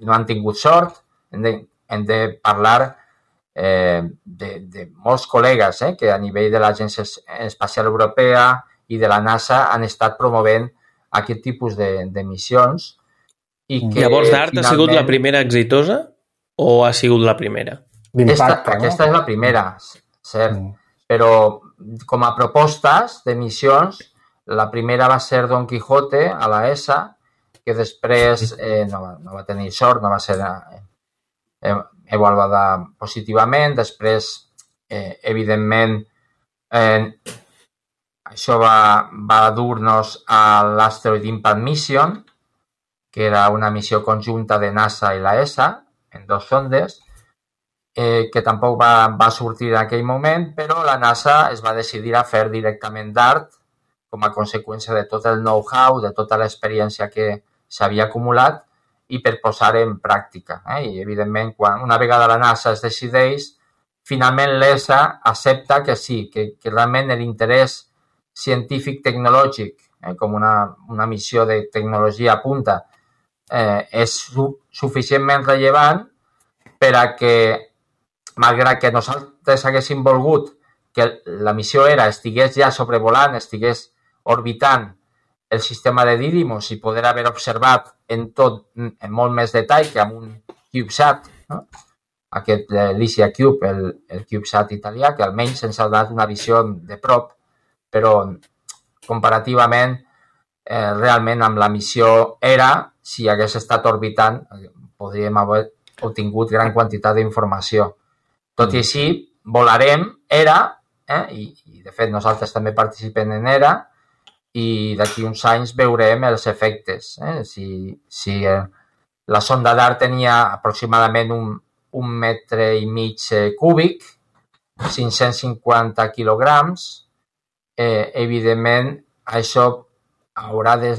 no han tingut sort, hem de, hem de parlar eh, de, de molts col·legues eh, que a nivell de l'Agència Espacial Europea i de la NASA han estat promovent aquest tipus de, de missions. I que Llavors, DART finalment... ha sigut la primera exitosa o ha sigut la primera? Aquesta, no? Aquesta és la primera, cert. Mm. Però com a propostes de missions, la primera va ser Don Quijote a la E S A, que després eh, no, va, no va tenir sort, no va ser eh, avaluada positivament. Després, eh, evidentment, eh, això va, va dur-nos a l'Asteroid Impact Mission, que era una missió conjunta de NASA i la E S A, en dos sondes, eh, que tampoc va, va sortir en aquell moment, però la NASA es va decidir a fer directament DART com a conseqüència de tot el know-how, de tota l'experiència que s'havia acumulat i per posar en pràctica. Eh? I, evidentment, quan una vegada la NASA es decideix, finalment l'E S A accepta que sí, que, que realment l'interès científic-tecnològic, eh, com una, una missió de tecnologia a punta, eh, és su suficientment rellevant per a que, malgrat que nosaltres haguéssim volgut que la missió ERA estigués ja sobrevolant, estigués orbitant el sistema de Didymos i poder haver observat en tot, en molt més detall que amb un CubeSat, no? Aquest eh, Lycia Cube, el, el CubeSat italià, que almenys ens ha donat una visió de prop, però comparativament, eh, realment amb la missió ERA, si hagués estat orbitant, podríem haver obtingut gran quantitat d'informació. Tot i així, volarem ERA, eh, i, i de fet nosaltres també participem en ERA, i d'aquí uns anys veurem els efectes. Eh? Si, si eh, la sonda DART tenia aproximadament un, un metre i mig eh, cúbic, cinc-cents cinquanta quilograms, eh, evidentment això haurà de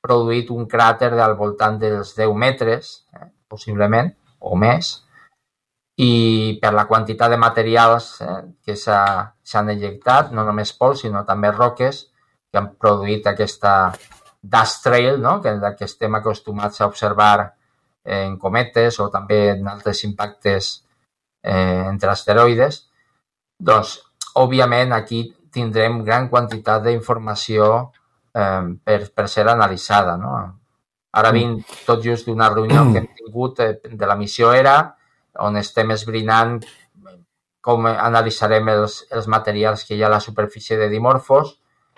produït un cràter al voltant dels deu metres, eh, possiblement, o més, i per la quantitat de materials eh, que s'han ejectat, no només pols, sinó també roques, que han produït aquesta dust trail, no? que, que estem acostumats a observar en cometes o també en altres impactes eh, entre asteroides, doncs, òbviament, aquí tindrem gran quantitat d'informació eh, per, per ser analitzada. No? Ara vinc tot just d'una reunió que hem tingut eh, de la missió ERA, on estem esbrinant com analitzarem els, els materials que hi ha a la superfície de Dimorphos,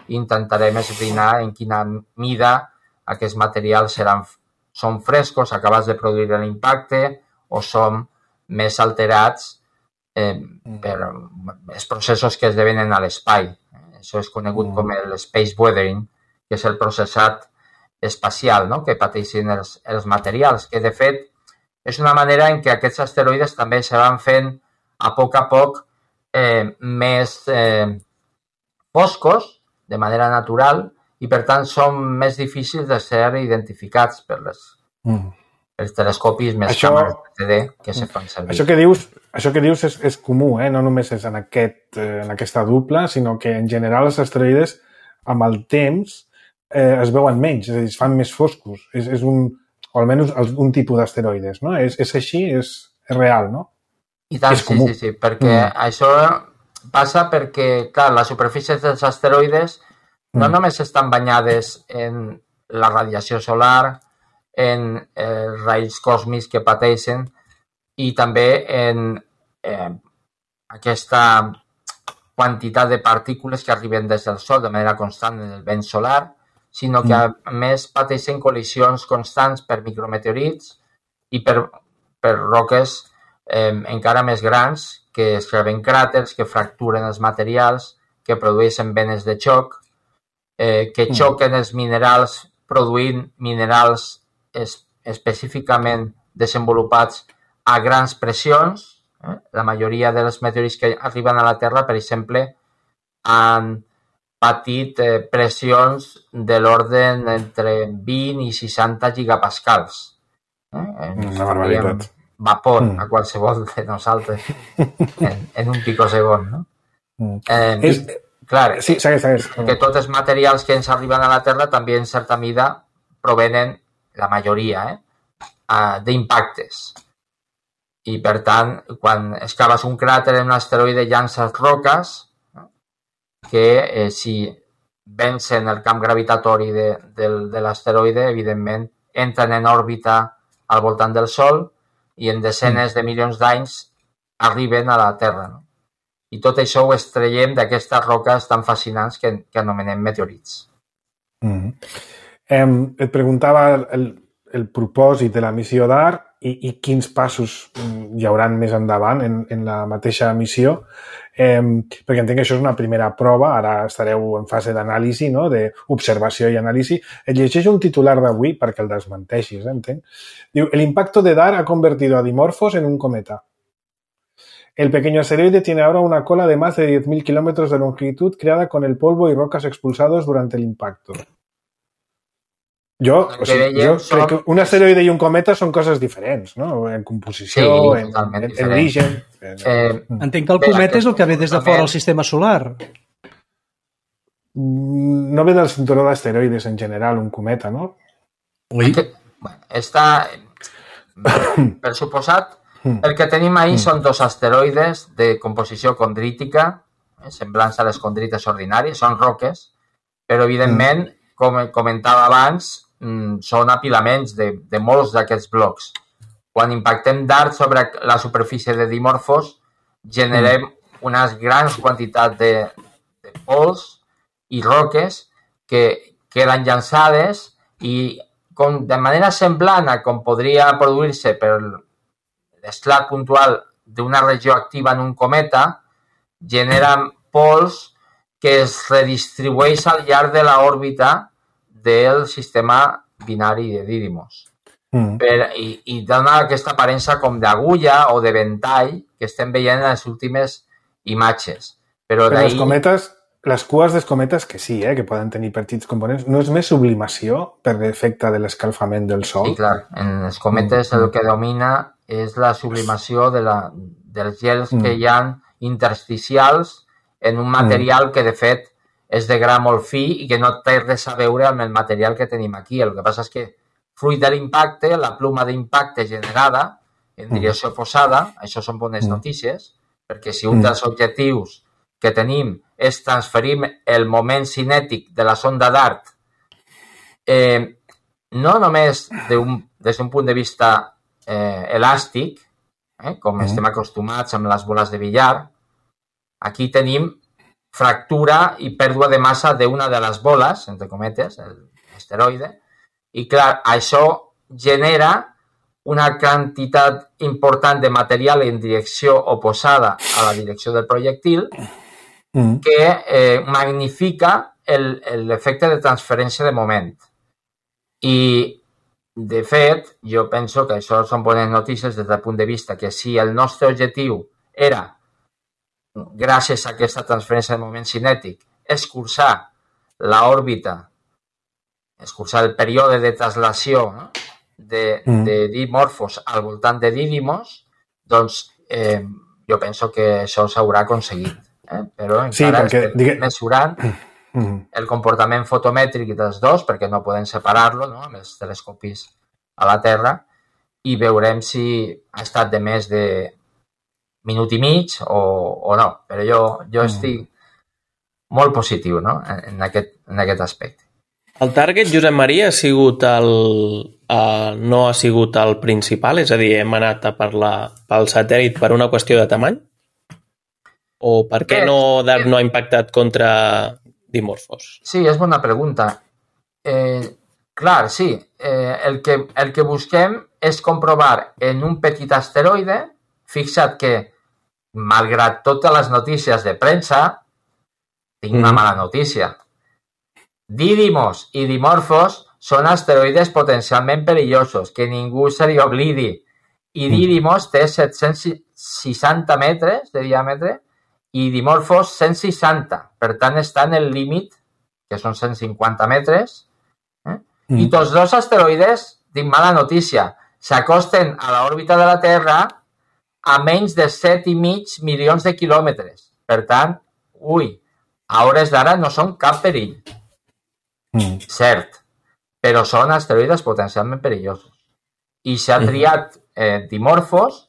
i intentarem esbrinar en quina mida aquests materials seran, són frescos, acabats de produir l'impacte, o són més alterats eh, per els processos que esdevenen a l'espai. Això és conegut com el space weathering, que és el processat espacial, no? que pateixen els, els materials, que de fet és una manera en què aquests asteroides també se van fent a poc a poc eh, més eh, foscos, de manera natural, i per tant són més difícils de ser identificats per les, mm. els telescopis més això, càmeres de T D que se fan servir. Això que dius, això que dius és, és comú, eh? No només és en, aquest, eh, en aquesta dupla, sinó que en general els asteroides amb el temps eh, es veuen menys, és a dir, es fan més foscos. És, és un, o almenys un tipus d'asteroides, no? És, és així, és, és real, no? I tant, és sí, comú. sí, sí, perquè mm. això passa perquè, clar, les superfícies dels asteroides no mm. només estan banyades en la radiació solar, en els raigs còsmics que pateixen i també en eh, aquesta quantitat de partícules que arriben des del Sol de manera constant en el vent solar, sinó que, a més, pateixen col·lisions constants per micrometeorits i per, per roques eh, encara més grans que esclaven cràters, que fracturen els materials, que produeixen venes de xoc, eh, que xoquen els minerals produint minerals es, específicament desenvolupats a grans pressions. Eh? La majoria dels meteorits que arriben a la Terra, per exemple, han patit eh, pressions de l'ordre entre vint i seixanta gigapascals. Eh? Una barbaritat. Vapor mm. a qualsevol de nosaltres en, en un picosegon, no? Mm. Eh, és... Clar, sí, segueix, segueix. que tots els materials que ens arriben a la Terra també en certa mida provenen, la majoria, eh, d'impactes. I per tant, quan excaves un cràter en un asteroide llances roques que eh, si vencen el camp gravitatori de, de, de l'asteroide, evidentment entren en òrbita al voltant del Sol i en desenes de milions d'anys arriben a la Terra. No? I tot això ho extraiem d'aquestes roques tan fascinants que, que anomenem meteorits. Mm. Eh, et preguntava el, el propòsit de la missió DART i, i quins passos hi hauran més endavant en, en la mateixa missió, eh, perquè entenc que això és una primera prova, ara estareu en fase d'anàlisi, no? D'observació i anàlisi. Et llegeixo un titular d'avui perquè el desmenteixis, eh, entenc. Diu, el impacto de DART ha convertido a Dimorphos en un cometa. El pequeño asteroide tiene ahora una cola de más de diez mil kilómetros de longitud creada con el polvo y rocas expulsados durante el impacto. Jo, o sigui, jo crec que un asteroide i un cometa són coses diferents, no? En composició, sí, en, en, en origen... Eh, Entenc que el cometa és el que ve des de fora del sistema solar. No ve del cinturó d'asteroides en general, un cometa, no? Ui. Que, bueno, està... Per suposat, el que tenim ahir mm. són dos asteroides de composició condrítica, eh, semblants a les condrites ordinàries, són roques, però evidentment, mm. com comentava abans, mm, són apilaments de, de molts d'aquests blocs. Quan impactem DART sobre la superfície de Dimorphos, generem mm. unes grans quantitats de, de pols i roques que queden llançades i com, de manera semblant a com podria produir-se per l'esclat puntual d'una regió activa en un cometa, generen pols que es redistribueix al llarg de l'òrbita del sistema binari de Didymos. Mm. Per, i, I dona aquesta aparença com d'agulla o de ventall que estem veient en les últimes imatges. Però, Però les cometes, les cues dels cometes, que sí, eh, que poden tenir petits components, no és més sublimació per l'efecte de l'escalfament del Sol? Sí, clar. En els cometes mm. el que domina és la sublimació de la, dels gels mm. que hi ha intersticials en un material mm. que, de fet, és de gra molt fi i que no té res a veure amb el material que tenim aquí. El que passa és que, fruit de l'impacte, la pluma d'impacte generada en direcció oposada, això són bones mm. notícies, perquè si un dels objectius que tenim és transferir el moment cinètic de la sonda DART, eh, no només d'un, des d'un punt de vista eh, elàstic, eh, com mm. estem acostumats amb les boles de billar, aquí tenim fractura i pèrdua de massa d'una de les boles, entre cometes, l'asteroide, i clar, això genera una quantitat important de material en direcció oposada a la direcció del projectil mm. que eh, magnifica l'efecte de transferència de moment. I, de fet, jo penso que això són bones notícies des del punt de vista que si el nostre objectiu era, gràcies a aquesta transferència de moment cinètic, escurçar l'òrbita, escurçar el període de traslació, no? de, mm. de Dimorphos al voltant de Didymos, doncs eh, jo penso que això s'haurà aconseguit. Eh? Però encara sí, perquè, estem digue... mesurant mm. el comportament fotomètric dels dos, perquè no podem separar-lo, no? Amb els telescopis a la Terra, i veurem si ha estat de més de minut i mig o, o no. Però jo, jo mm. estic molt positiu, no? en, en, aquest, en aquest aspecte. El target, Josep Maria, ha sigut el, uh, no ha sigut el principal? És a dir, hem anat a per la, pel satèl·lit per una qüestió de tamany? O per què no DART no ha impactat contra Dimorphos? Sí, és bona pregunta. Eh, clar, sí. Eh, el, que, el que busquem és comprovar en un petit asteroide, fixa't que, malgrat totes les notícies de premsa, tinc una mm. mala notícia. Didymos i Dimorphos són asteroides potencialment perillosos, que ningú se li oblidi. I Didymos té set-cents seixanta metres de diàmetre i Dimorphos cent seixanta. Per tant, està en el límit, que són cent cinquanta metres, eh? mm. i tots dos asteroides, dic mala notícia, s'acosten a l'òrbita de la Terra a menys de set i mig milions de quilòmetres. Per tant, ui, a hores d'ara no són cap perill. Mm. Cert, però són asteroides potencialment perillosos. I s'ha triat eh, Dimorphos,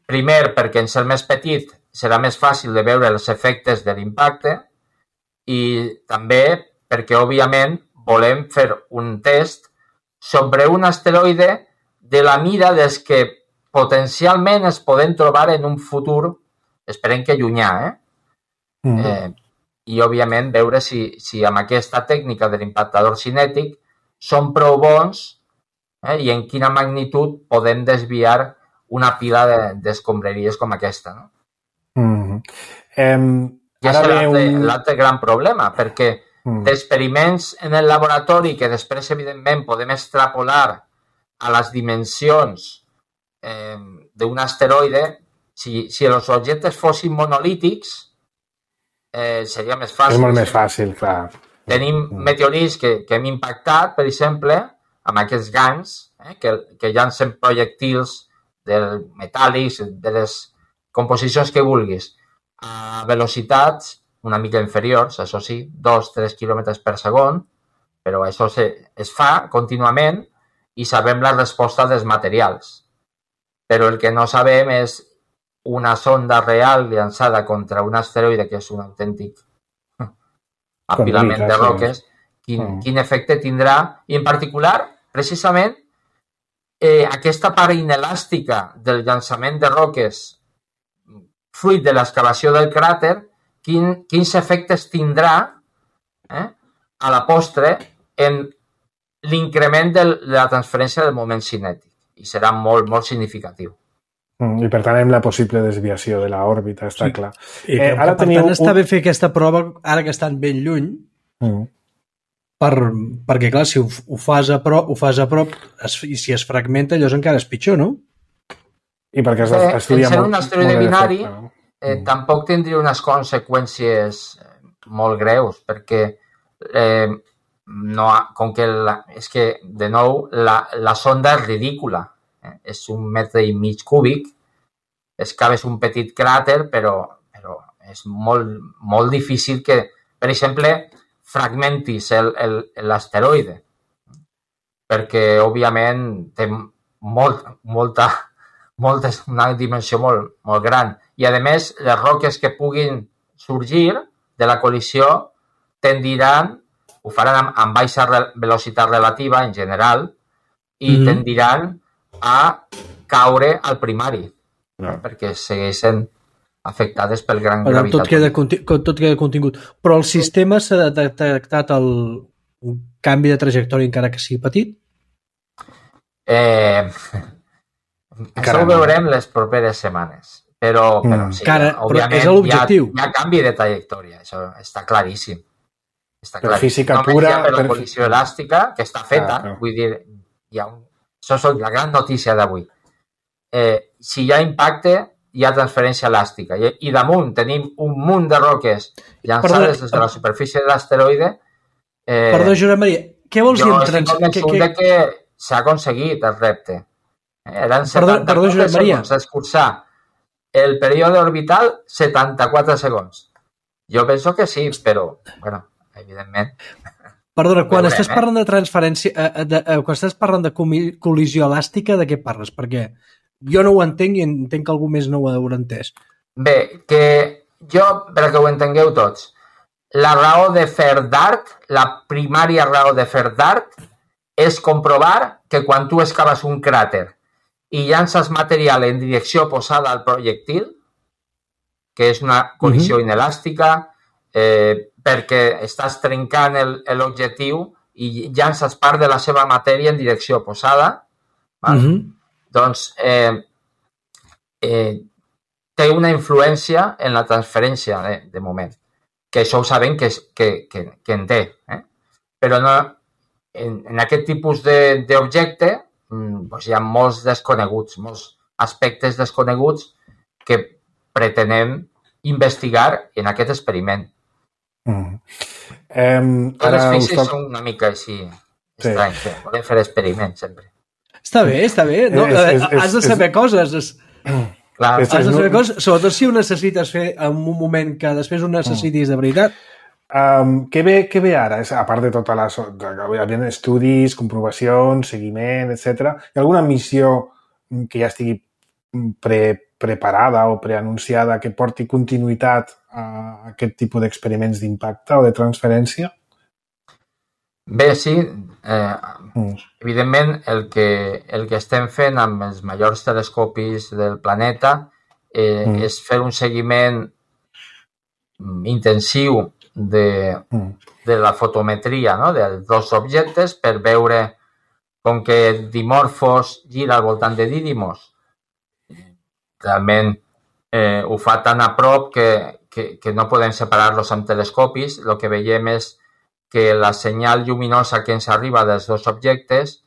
primer perquè en ser més petit serà més fàcil de veure els efectes de l'impacte i també perquè, òbviament, volem fer un test sobre un asteroide de la mida des que potencialment es poden trobar en un futur, esperem que llunyà, eh? Mm. eh I, òbviament, veure si, si amb aquesta tècnica de l'impactador cinètic són prou bons eh? i en quina magnitud podem desviar una pila d'escombraries com aquesta, no? Mm. Um, I és l'altre un... gran problema, perquè mm. d'experiments en el laboratori que després, evidentment, podem extrapolar a les dimensions eh, d'un asteroide, si, si els objectes fossin monolítics, eh, seria més fàcil. És molt més fàcil, clar. Tenim mm. meteorits que, que hem impactat, per exemple, amb aquests gangs, eh, que, que llancen projectils de metàl·lics, de les composicions que vulguis, a velocitats una mica inferiors, això sí, dos a tres quilòmetres per segon, però això se, es fa contínuament i sabem la resposta dels materials. Però el que no sabem és una sonda real llançada contra un asteroide, que és un autèntic apilament de roques, quin, mm. quin efecte tindrà, i en particular, precisament, eh, aquesta part inelàstica del llançament de roques fruit de l'excavació del cràter, quin, quins efectes tindrà eh, a la postre en l'increment de la transferència del moment cinètic. I serà molt, molt significatiu. Mm, I, per tant, amb la possible desviació de l'òrbita, està sí. clar. I que, eh, ara per teniu tant, està un... bé fer aquesta prova, ara que estan ben lluny, mm. per, perquè, clar, si ho, ho, fas a prop, ho fas a prop es, i si es fragmenta, llavors encara és pitjor, no? I perquè es, eh, estudia en ser molt, un asteroide binari, efecte, no? eh, mm. tampoc tindria unes conseqüències molt greus, perquè eh, no, com que la, és que, de nou, la, la sonda és ridícula. Eh? És un metre i mig cúbic, excaves un petit cràter, però, però és molt, molt difícil que, per exemple, fragmentis l'asteroide, perquè, òbviament, té molt, molta, molta, una dimensió molt, molt gran. I, a més, les roques que puguin sorgir de la col·lisió tendiran, ho faran amb, amb baixa re, velocitat relativa, en general, i mm-hmm. tendiran a caure al primari, no. perquè segueixen afectades pel gran bueno, gravitat. Tot queda, tot queda contingut. Però el sistema s'ha detectat el, un canvi de trajectòria encara que sigui petit? Eh, això ho veurem les properes setmanes. Però, però sí, Cara, òbviament però és l'objectiu. Hi ha, hi ha canvi de trajectòria, això està claríssim. Està per claríssim. física Només pura... hi ha per la per... col·lisió elàstica, que està feta, ah, vull dir, hi ha un... això és la gran notícia d'avui. Eh, si hi ha impacte, hi ha transferència elàstica. I, i damunt tenim un munt de roques llançades des de la superfície de l'asteroide. Eh, Perdó, Josep Maria, què vols dir amb trans... Jo estic convençut que, que s'ha aconseguit el repte. Eren setanta-quatre segons d'escurçar el període orbital setanta-quatre segons. Jo penso que sí, però, bueno, evidentment... Perdona, quan veurem, estàs eh? parlant de transferència, eh, de, eh, quan estàs parlant de col·lisió elàstica, de què parles? Perquè jo no ho entenc i entenc que algú més no ho haurà entès. Bé, que jo, perquè ho entengueu tots, la raó de fer d'arc, la primària raó de fer d'arc, és comprovar que quan tu excaves un cràter i llances material en direcció oposada al projectil, que és una col·lisió uh-huh. inelàstica, eh, perquè estàs trencant l'objectiu i llances part de la seva matèria en direcció oposada, uh-huh. doncs eh, eh, té una influència en la transferència de, de moment, que això ho sabem que, que, que, que en té. Eh? Però no, en, en aquest tipus d'objecte doncs hi ha molts desconeguts, molts aspectes desconeguts que pretenem investigar en aquest experiment. Mm. Um, Les físics toc... són una mica així sí. estranys. Sí. Volem fer experiments sempre. Està bé, està bé. No? És, és, és, has de saber és... coses. És... Clar, has de saber coses, sobretot si ho necessites fer en un moment que després ho necessitis de veritat. Um, què, ve, què ve ara? A part de tota la... Hi havia estudis, comprovacions, seguiment, etcètera. Hi ha alguna missió que ja estigui pre, preparada o preanunciada que porti continuïtat a aquest tipus d'experiments d'impacte o de transferència? Bé, sí. Eh, mm. Evidentment, el que, el que estem fent amb els majors telescopis del planeta eh, mm. és fer un seguiment intensiu de, mm. de la fotometria, no? dels dos objectes per veure com que Dimorphos gira al voltant de Didymos. Realment eh, ho fa tan a prop que, que, que no podem separar-los amb telescopis. El que veiem és que la senyal lluminosa que ens arriba dels dos objectes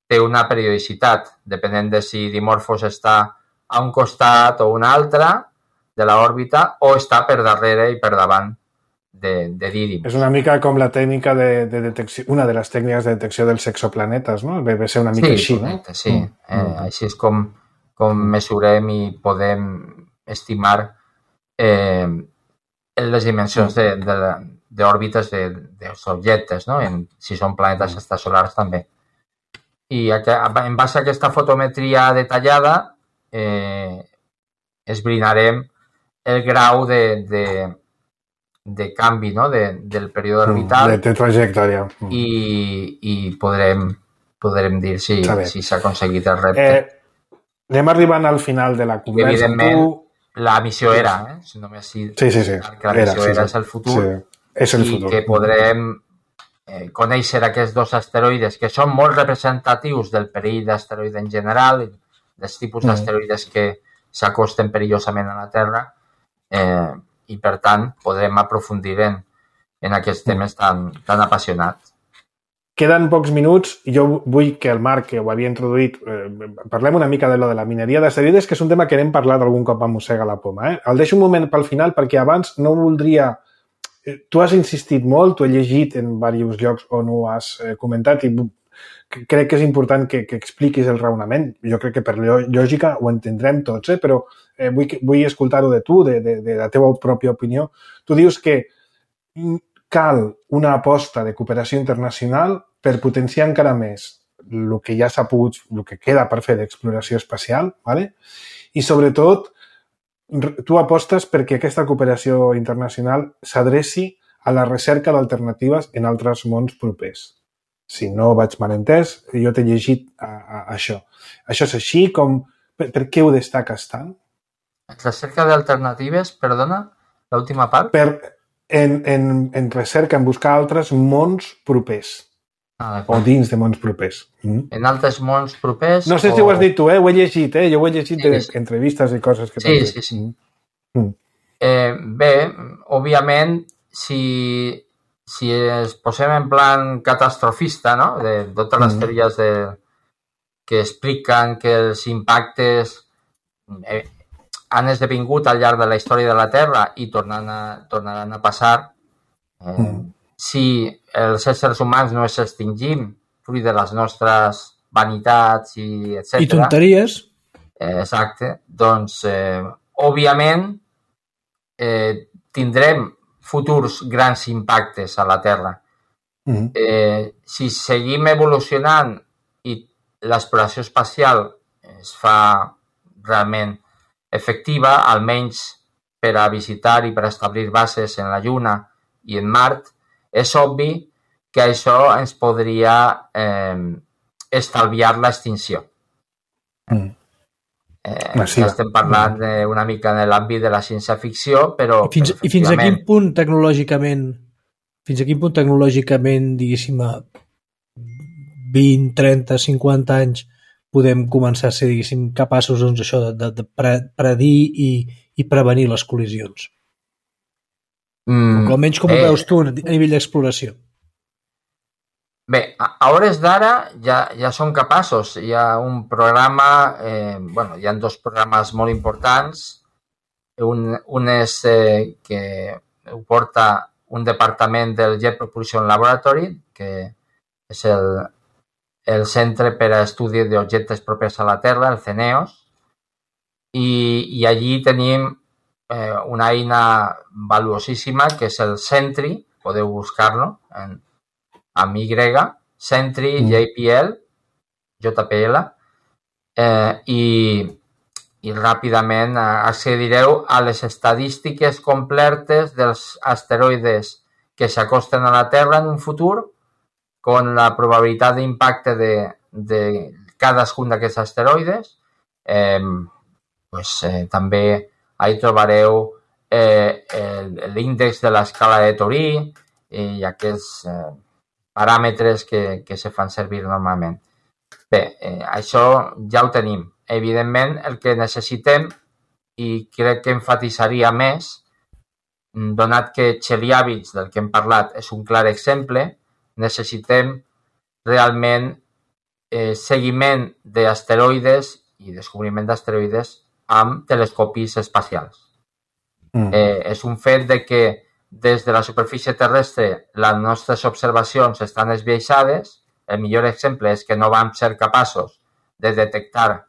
té una periodicitat, depenent de si Dimorphos està a un costat o un altre de l'òrbita o està per darrere i per davant de, de Didymos. És una mica com la tècnica de, de detecció, una de les tècniques de detecció dels exoplanetes, no? Deve ser una mica sí, així, correcte, no? Sí, mm. eh, així és com, com mesurem i podem estimar eh, les dimensions de, de, d'òrbites de, dels objectes, no? En, si són planetes extrasolars també. I en base a aquesta fotometria detallada eh, esbrinarem el grau de, de, de canvi, no? de, del període orbital de, de trajectòria i, i podrem, podrem dir si, si s'ha aconseguit el repte. Eh, anem arribant al final de la conversa. Evidentment, tu... la missió era, eh? Si només si sí, sí, sí. que la missió era, sí, era sí. és el futur, sí. és el i futur. que podrem eh, conèixer aquests dos asteroides que són molt representatius del perill d'asteroide en general, dels tipus mm. d'asteroides que s'acosten perillosament a la Terra, eh, i per tant podrem aprofundir en, en aquests temes tan, tan apassionats. Queden pocs minuts i jo vull que el Marc, que ho havia introduït, eh, parlem una mica de lo de la mineria d'asteroides, que és un tema que n'hem parlat algun cop a Mossega la Poma. Eh? El deixo un moment pel final perquè abans no voldria... Tu has insistit molt, tu he llegit en diversos llocs on ho has eh, comentat i crec que és important que, que expliquis el raonament. Jo crec que per lògica ho entendrem tots, eh? Però eh, vull, vull escoltar-ho de tu, de, de, de la teva pròpia opinió. Tu dius que cal una aposta de cooperació internacional per potenciar encara més el que ja s'ha pogut, el que queda per fer d'exploració espacial, ¿vale? I sobretot tu apostes perquè aquesta cooperació internacional s'adreci a la recerca d'alternatives en altres mons propers. Si no vaig mal entès, jo t'he llegit a, a, a això. Això és així? Com, per, per què ho destaques tant? Recerca d'alternatives, perdona, l'última part? Per, en, en, en recerca, en buscar altres mons propers. Ah, o dins de mons propers. Mm? En altres mons propers... No sé o... si ho has dit tu, eh? Ho he llegit, eh? Jo ho he llegit d'entrevistes i coses que t'han dit. Sí, sí, sí. Mm. Eh, bé, òbviament, si, si es posem en plan catastrofista, no? De totes les mm. teories de, que expliquen que els impactes eh, han esdevingut al llarg de la història de la Terra i tornaran a, tornaran a passar, eh, mm. si els éssers humans no s'extingim fruit de les nostres vanitats i etcètera. I tonteries. Eh, exacte. Doncs, eh, òbviament, eh, tindrem futurs grans impactes a la Terra. Mm. Eh, si seguim evolucionant i l'exploració espacial es fa realment efectiva, almenys per a visitar i per a establir bases en la Lluna i en Mart, és obvi que això ens podria eh, estalviar l'extinció. Mm. Eh, ja estem parlant mm. una mica en l'àmbit de la ciència-ficció, però... I fins, però i fins a quin punt tecnològicament, fins a quin punt tecnològicament, diguéssim, a vint, trenta, cinquanta anys podem començar a ser, diguéssim, capaços doncs, això de, de, de predir i, i prevenir les col·lisions? Mm, almenys com ho eh, veus tu a nivell d'exploració? Bé, a, a hores d'ara ja, ja som capaços. Hi ha un programa, eh, bueno, hi ha dos programes molt importants un, un és eh, que ho porta un departament del Jet Propulsion Laboratory, que és el, el Centre per a Estudi d'Objectes Propers a la Terra, el CENEOS, i, i allí tenim eh, una eina valuosíssima que és el Sentry, podeu buscar-lo en, amb Y, Sentry, mm. J P L, J P L, eh, i, i ràpidament accedireu a les estadístiques completes dels asteroides que s'acosten a la Terra en un futur, con la probabilitat d'impacte de, de cadascun d'aquests asteroides. Eh, pues, eh, també ahí trobareu eh, l'índex de l'escala de Torí i aquests eh, paràmetres que, que se fan servir normalment. Bé, eh, això ja ho tenim. Evidentment, el que necessitem, i crec que enfatitzaria més, donat que Chelyabinsk, del que hem parlat, és un clar exemple, necessitem realment eh, seguiment d'asteroides i descobriment d'asteroides amb telescopis espacials. Mm. Eh, és un fet de que des de la superfície terrestre les nostres observacions estan esbiaixades. El millor exemple és que no vam ser capaços de detectar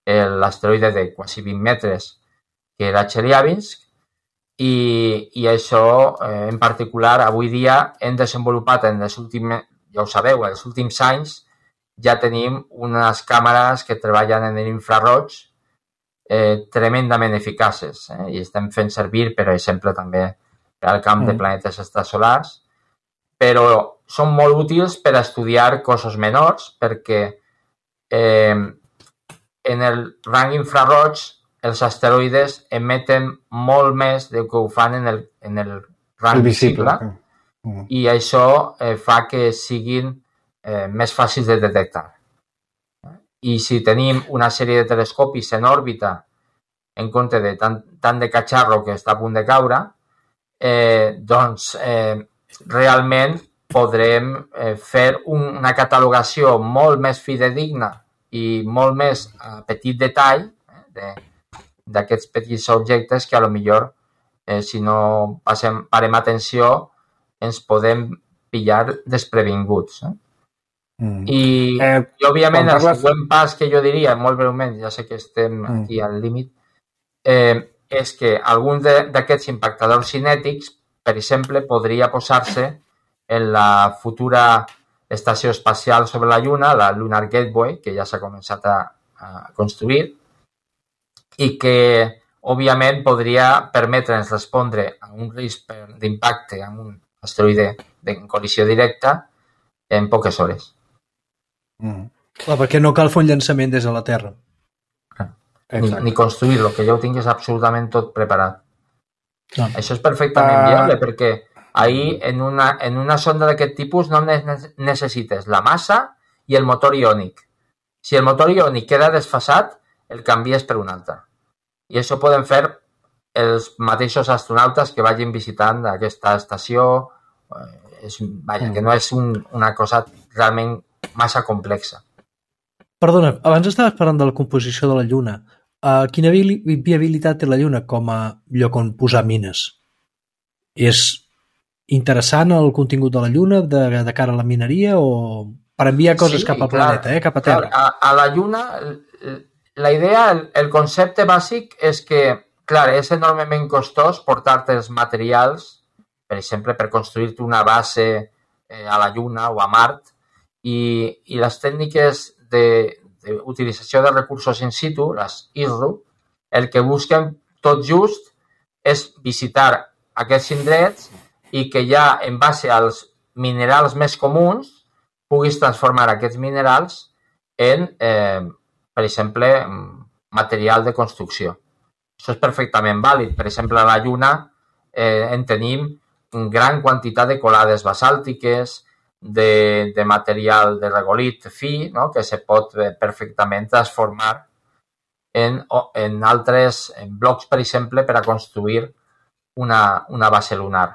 l'asteroide de quasi vint metres que era Chelyabinsk, I, i això eh, en particular avui dia hem desenvolupat en les últimes, ja ho sabeu, en els últims anys ja tenim unes càmeres que treballen en l'infraroig eh, tremendament eficaces eh, i estem fent servir, per exemple, també per al camp mm. de planetes extrasolars, però són molt útils per a estudiar coses menors perquè eh, en el rang infraroig els asteroides emeten molt més del que ho fan en el, en el rang visible, visible i això eh, fa que siguin eh, més fàcils de detectar. I si tenim una sèrie de telescopis en òrbita en compte de tant, tant de catxarro que està a punt de caure, eh, doncs eh, realment podrem eh, fer un, una catalogació molt més fidedigna i molt més a petit detall eh, de d'aquests petits objectes que a lo millor eh, si no passem, parem atenció ens podem pillar desprevinguts. Eh? Mm. I, eh, i òbviament el parles... següent pas que jo diria, molt breument, ja sé que estem mm. aquí al límit, eh, és que algun d'aquests impactadors cinètics, per exemple, podria posar-se en la futura estació espacial sobre la Lluna, la Lunar Gateway, que ja s'ha començat a, a construir, i que, òbviament, podria permetre'ns respondre a un risc d'impacte amb un asteroide en col·lisió directa en poques hores. Mm. Clar, perquè no cal fer un llançament des de la Terra. Ni, ni construir-lo, que ja ho tinguis absolutament tot preparat. No. Això és perfectament uh... viable, perquè ahir en una, en una sonda d'aquest tipus no necessites la massa i el motor iònic. Si el motor iònic queda desfasat, el canvies per un altre. I això poden fer els mateixos astronautes que vagin visitant aquesta estació. És, vaja, que no és un, una cosa realment massa complexa. Perdona, abans estaves parlant de la composició de la Lluna. Uh, quina vi viabilitat té la Lluna com a lloc on posar mines? És interessant el contingut de la Lluna de, de cara a la mineria o per enviar coses sí, cap al clar, planeta, eh? Cap a Terra? Clar, a, a la Lluna... La idea, el, el concepte bàsic és que, clar, és enormement costós portar-te els materials, per exemple, per construir-te una base eh, a la Lluna o a Mart, i, i les tècniques d'utilització de, de recursos in situ, les I S R U, el que busquen tot just és visitar aquests indrets i que ja, en base als minerals més comuns, puguis transformar aquests minerals en... Eh, per exemple, material de construcció. Això és perfectament vàlid. Per exemple, a la Lluna eh, en tenim una gran quantitat de colades basàltiques, de, de material de regolit fi, no? Que se pot eh, perfectament transformar en, en altres en blocs, per exemple, per a construir una, una base lunar.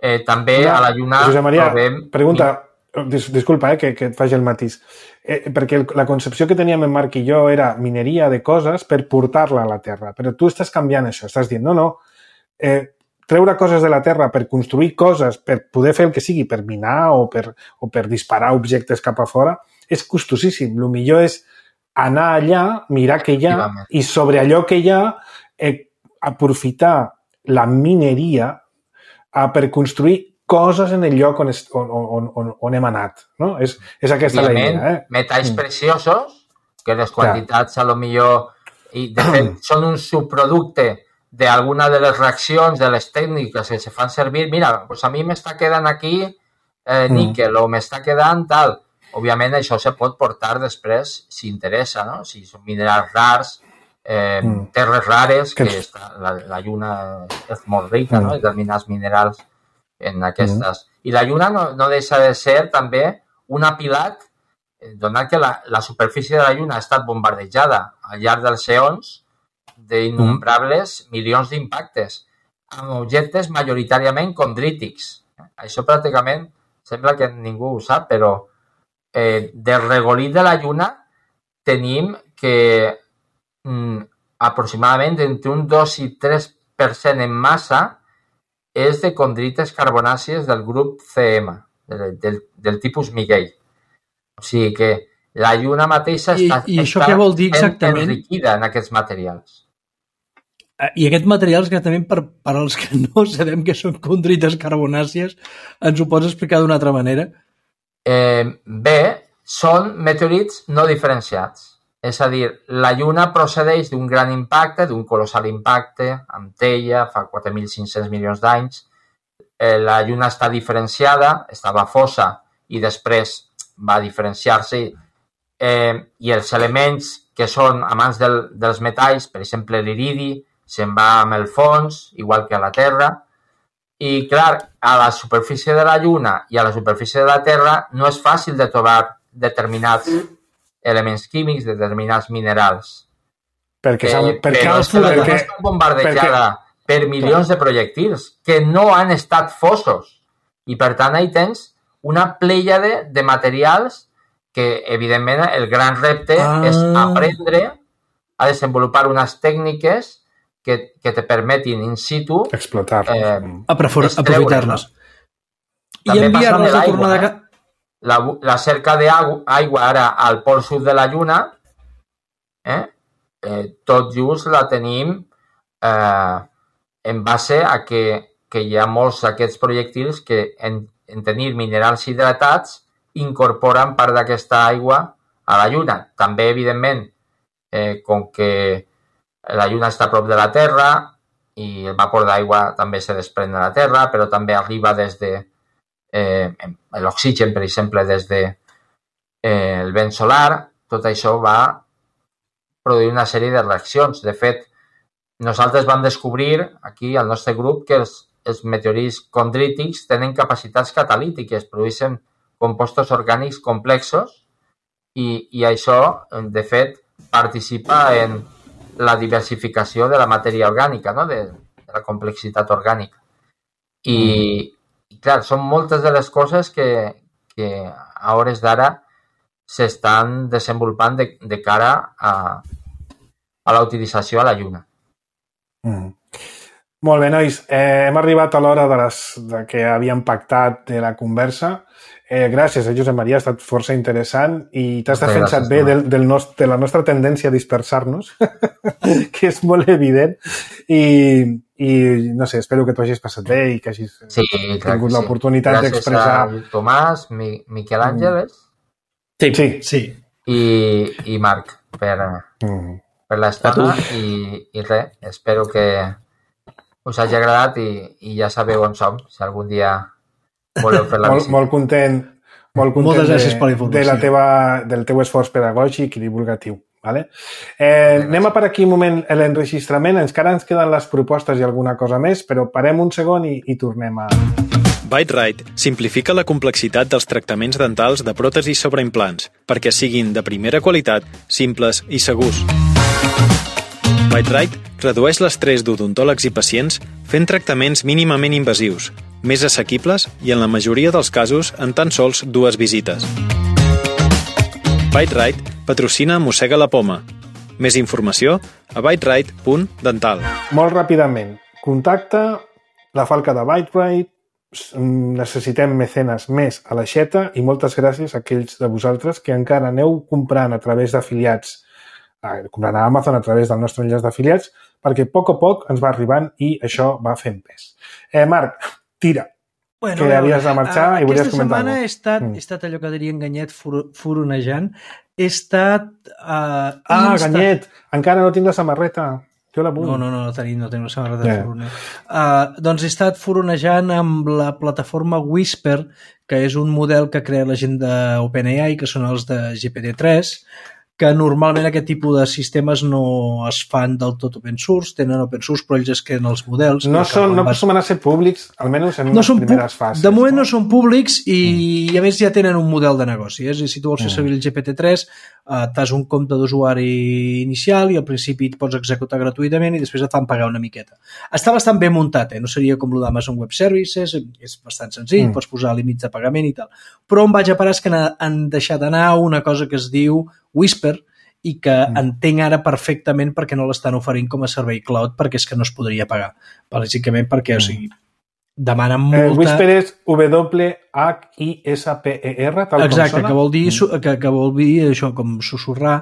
Eh, també una, a la Lluna Josep Maria, trobem... pregunta, dis, disculpa eh, que, que et faci el matís, eh, perquè el, la concepció que teníem en Marc i jo era mineria de coses per portar-la a la Terra, però tu estàs canviant això, estàs dient, no, no, eh, treure coses de la Terra per construir coses, per poder fer el que sigui, per minar o per, o per disparar objectes cap a fora, és costosíssim. El millor és anar allà, mirar què hi ha i sobre allò que hi ha eh, aprofitar la mineria eh, per construir coses en el lloc on, es, on, on, on, on hem anat. No? És, és aquesta la idea. Eh? Metalls mm. preciosos, que les quantitats ja. a lo millor i de fet són un subproducte d'alguna de les reaccions, de les tècniques que se fan servir. Mira, pues a mi m'està quedant aquí eh, níquel mm. o m'està quedant tal. Òbviament això se pot portar després si interessa, no? Si són minerals rars, eh, mm. terres rares, que, que està, la, la lluna és molt rica, mm. no? En determinats minerals en aquestes. Mm. I la lluna no, no deixa de ser també un apilat, donat que la, la superfície de la lluna ha estat bombardejada al llarg dels eons d'innombrables mm. milions d'impactes amb objectes majoritàriament condrítics. Això pràcticament sembla que ningú ho sap, però eh, del regolit de la lluna tenim que mm, aproximadament entre un dos i tres per cent en massa és de condrites carbonàcies del grup C M, del, del, del tipus Miguel. O sigui que la lluna mateixa I, està, i això està què vol dir exactament? enriquida en aquests materials. I aquests materials, exactament, per, per als que no sabem que són condrites carbonàcies, ens ho pots explicar d'una altra manera? Eh, bé, són meteorits no diferenciats. És a dir, la lluna procedeix d'un gran impacte, d'un colossal impacte, amb Teia, fa quatre mil cinc-cents milions d'anys. Eh, la lluna està diferenciada, estava fosa i després va diferenciar-se. Eh, I els elements que són amants del, dels metalls, per exemple l'iridi, se'n va amb el fons, igual que a la Terra. I, clar, a la superfície de la lluna i a la superfície de la Terra no és fàcil de trobar determinats elements químics, determinats minerals. Perquè, eh, perquè, però és que la lluna està bombardejada perquè, per milions de projectils que no han estat fosos. I, per tant, ahí tens una plèiade de materials que, evidentment, el gran repte ah. és aprendre a desenvolupar unes tècniques que, que te permetin in situ explotar-les. Eh, aprofitar-les. No? I enviar-les a tornar de... La, la cerca d'aigua ara al pol sud de la Lluna, eh, eh, tot just la tenim eh, en base a que, que hi ha molts d'aquests projectils que en, en tenir minerals hidratats incorporen part d'aquesta aigua a la Lluna. També, evidentment, eh, com que la Lluna està a prop de la Terra i el vapor d'aigua també se desprèn de la Terra, però també arriba des de Eh, l'oxigen, per exemple, des de eh, el vent solar, tot això va produir una sèrie de reaccions. De fet, nosaltres vam descobrir aquí al nostre grup que els, els meteorits condrítics tenen capacitats catalítiques, produeixen compostos orgànics complexos i, i això, de fet, participa en la diversificació de la matèria orgànica, no? de, de la complexitat orgànica. I, mm. I clar, són moltes de les coses que, que a hores d'ara s'estan desenvolupant de, de cara a, a la utilització a la Lluna. Mm. Molt bé, nois. Eh, hem arribat a l'hora de, les, de que havíem pactat de la conversa. Eh, gràcies, eh, Josep Maria, ha estat força interessant i t'has defensat bé del, del nost, de la nostra tendència a dispersar-nos, que és molt evident. I, i no sé, espero que t'ho hagis passat bé i que hagis sí, tingut l'oportunitat sí. d'expressar... Gràcies a Tomàs, Mi, Miquel Àngeles sí. Sí. Sí. I, i Marc per, mm. per l'estona i, i res, espero que us hagi agradat i, i ja sabeu on som, si algun dia voleu fer la molt, visita. Molt content, molt content Moltes gràcies per la de, de la teva, del teu esforç pedagògic i divulgatiu. Vale? Eh, anem a parar aquí un moment l'enregistrament, encara ens queden les propostes i alguna cosa més, però parem un segon i, i tornem a... Bite-Right simplifica la complexitat dels tractaments dentals de pròtesis sobre implants perquè siguin de primera qualitat, simples i segurs. Bite-Right redueix l'estrès d'odontòlegs i pacients fent tractaments mínimament invasius, més assequibles i en la majoria dels casos en tan sols dues visites. ByteRite patrocina Mossega la Poma. Més informació a byterite punt dental. Molt ràpidament, contacta la Falca de ByteRite, necessitem mecenes més a l'aixeta i moltes gràcies a aquells de vosaltres que encara aneu comprant a través d'afiliats, eh, comprant a Amazon a través del nostre enllaç d'afiliats, perquè a poc a poc ens va arribant i això va fent pes. Eh, Marc, tira, bueno, que havies de marxar uh, i volies aquesta comentar setmana he estat, mm. he estat allò que diria en Ganyet fur, furonejant. He estat... Uh, ah, insta... Ganyet, encara no tinc la samarreta. Jo la vull. No, no, no, no tenim, no tenim la samarreta de yeah. furoner. Uh, doncs he estat furonejant amb la plataforma Whisper, que és un model que crea la gent d'OpenAI, que són els de G P T tres, que normalment aquest tipus de sistemes no es fan del tot open source, tenen open source, però ells es creen els models. No, són, no acostumen a ser públics, almenys en no les primeres fases. De moment no? no són públics i, mm. i a més ja tenen un model de negoci. És a dir, si tu vols fer servir el G P T tres, uh, t'has un compte d'usuari inicial i al principi et pots executar gratuïtament i després et fan pagar una miqueta. Està bastant ben muntat, eh? No seria com el d'Amazon Web Services, és bastant senzill, mm. pots posar límits de pagament i tal. Però on vaig a parar és que han deixat anar una cosa que es diu Whisper i que mm. entenc ara perfectament perquè no l'estan oferint com a servei cloud perquè és que no es podria pagar. Bàsicament perquè, mm. o sigui, demanen molta... Eh, Whisper és W H I S P E R, tal Exacte, com sona. que vol dir, mm. que, que vol dir això, com sussurrar,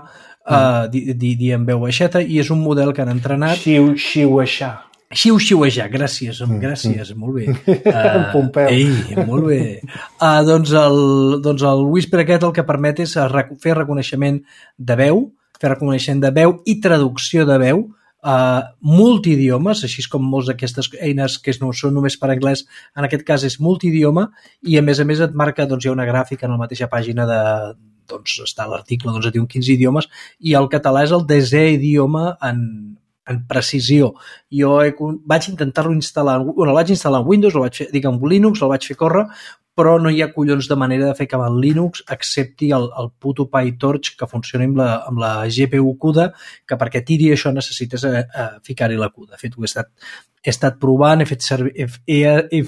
mm. uh, dir di, di en veu baixeta, i és un model que han entrenat... Xiu-xiu-aixà. Xiu-xiu-aixà, gràcies, mm. gràcies, mm. molt bé. Uh, Pompeu. Ei, molt bé. Uh, doncs, el, doncs el Whisper aquest el que permet és fer reconeixement de veu, fer reconeixement de veu i traducció de veu, uh, multidiomes, així com molts d'aquestes eines que no són només per anglès, en aquest cas és multidioma, i a més a més et marca, doncs hi ha una gràfica en la mateixa pàgina de, doncs està l'article, doncs et diu quins idiomes, i el català és el desè idioma en en precisió. Jo he, vaig intentar-lo instal·lar, bueno, el vaig instal·lar en Windows, el vaig fer, dic, en Linux, el vaig fer córrer, però no hi ha collons de manera de fer que el Linux accepti el, el puto PyTorch que funcioni amb la, amb la G P U CUDA, que perquè tiri això necessites a, a ficar-hi la CUDA. De fet, ho he estat, he estat provant, he, fet servir, he, he, he,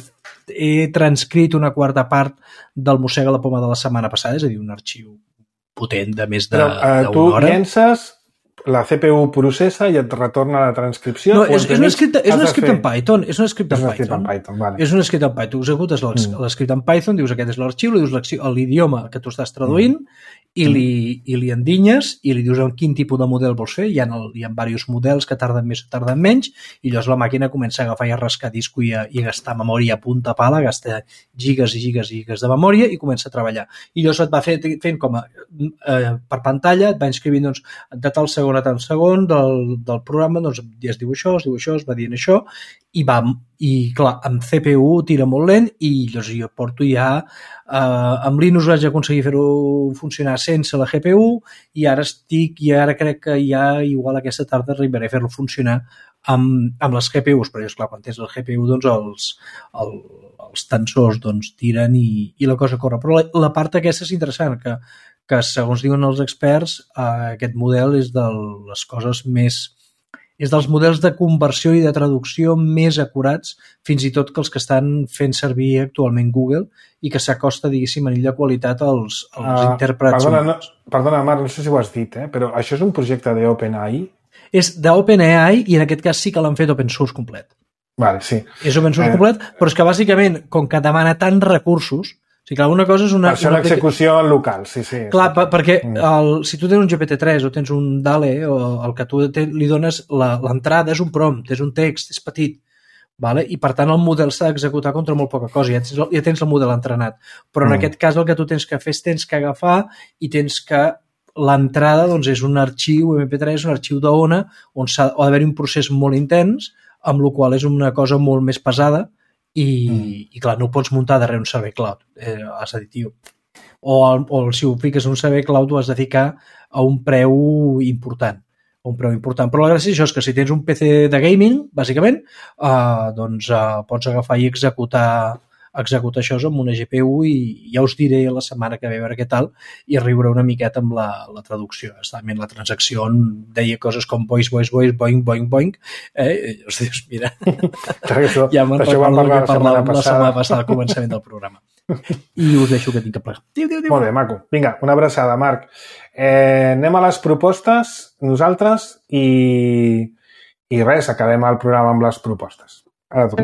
he transcrit una quarta part del Mossega la Poma de la setmana passada, és a dir, un arxiu potent de més d'una hora. Tu llences, la C P U processa i et retorna la transcripció? No, és, és un script, és un script en Python. És un script en Python. Python vale. És un script en Python. Tu executes l'escript en Python, dius aquest és l'arxiu, li dius l'idioma que tu estàs traduint mm. i, li, i li endinyes i li dius en quin tipus de model vols fer. Hi ha, el, hi ha diversos models que tarden més o tarden menys i llavors la màquina comença a agafar i a rascar disco i a, i a gastar memòria a punta pala, gasta gigas i gigas i gigas de memòria i comença a treballar. I llavors et va fer, fent com a, eh, per pantalla, et va inscrivint doncs, de tal segon a tal segon del, del programa, doncs ja es diu això, es diu això, es va dient això, i va, i clar, amb C P U tira molt lent i llavors jo porto ja, eh, amb Linux vaig aconseguir fer-ho funcionar sense la G P U i ara estic, i ara crec que ja igual aquesta tarda arribaré a fer-lo funcionar amb, amb les G P Us, però clar, quan tens el G P U doncs els, el, els tensors doncs tiren i, i la cosa corre. Però la, la part aquesta és interessant, que que segons diuen els experts, eh, aquest model és de les coses més... és dels models de conversió i de traducció més acurats, fins i tot que els que estan fent servir actualment Google i que s'acosta, diguéssim, a nivell de qualitat als, als uh, intèrprets. Perdona, no, perdona, Marc, no sé si ho has dit, eh, però això és un projecte d'OpenAI? És d'OpenAI i en aquest cas sí que l'han fet open source complet. Vale, sí. És open source eh... complet, però és que bàsicament, com que demana tants recursos, o sigui, clar, una cosa és una... Per això una l'execució en local, sí, sí. Clar, per, perquè el, si tu tens un G P T tres o tens un DALE o el que tu te, li dones, l'entrada és un prompt, és un text, és petit, vale? I per tant el model s'ha d'executar contra molt poca cosa, ja tens, ja tens el model entrenat. Però en mm. aquest cas el que tu tens que fer és tens que agafar i tens que l'entrada doncs, és un arxiu M P tres, un arxiu d'ona, on s'ha d'haver-hi un procés molt intens, amb la qual és una cosa molt més pesada, i, mm. i clar, no ho pots muntar darrere un servei cloud, eh, has de dir, tio. O, o si ho fiques en un servei cloud ho has de ficar a un preu important, un preu important. Però la gràcia és això, és que si tens un P C de gaming, bàsicament, eh, doncs eh, pots agafar i executar executar això amb una G P U i ja us diré la setmana que ve a veure què tal i riure una miqueta amb la, la traducció. Estament la transacció deia coses com voice, voice, voice, boing, boing, boing. Eh? I us dius, mira, això, ja me'n això vam parlar la setmana la setmana passada al començament del programa. I us deixo que tinc que plegar. Diu, diu, diu. Molt bé, maco. Vinga, una abraçada, Marc. Eh, anem a les propostes, nosaltres, i, i res, acabem el programa amb les propostes. Ara tu.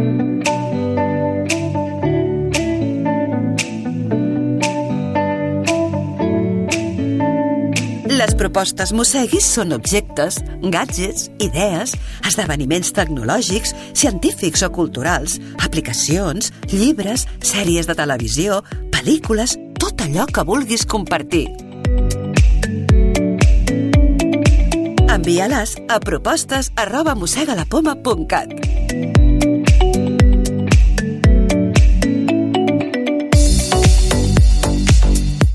Les propostes Mosseguis són objectes, gadgets, idees, esdeveniments tecnològics, científics o culturals, aplicacions, llibres, sèries de televisió, pel·lícules, tot allò que vulguis compartir. Envia-les a propostes arroba mossegalapoma punt cat.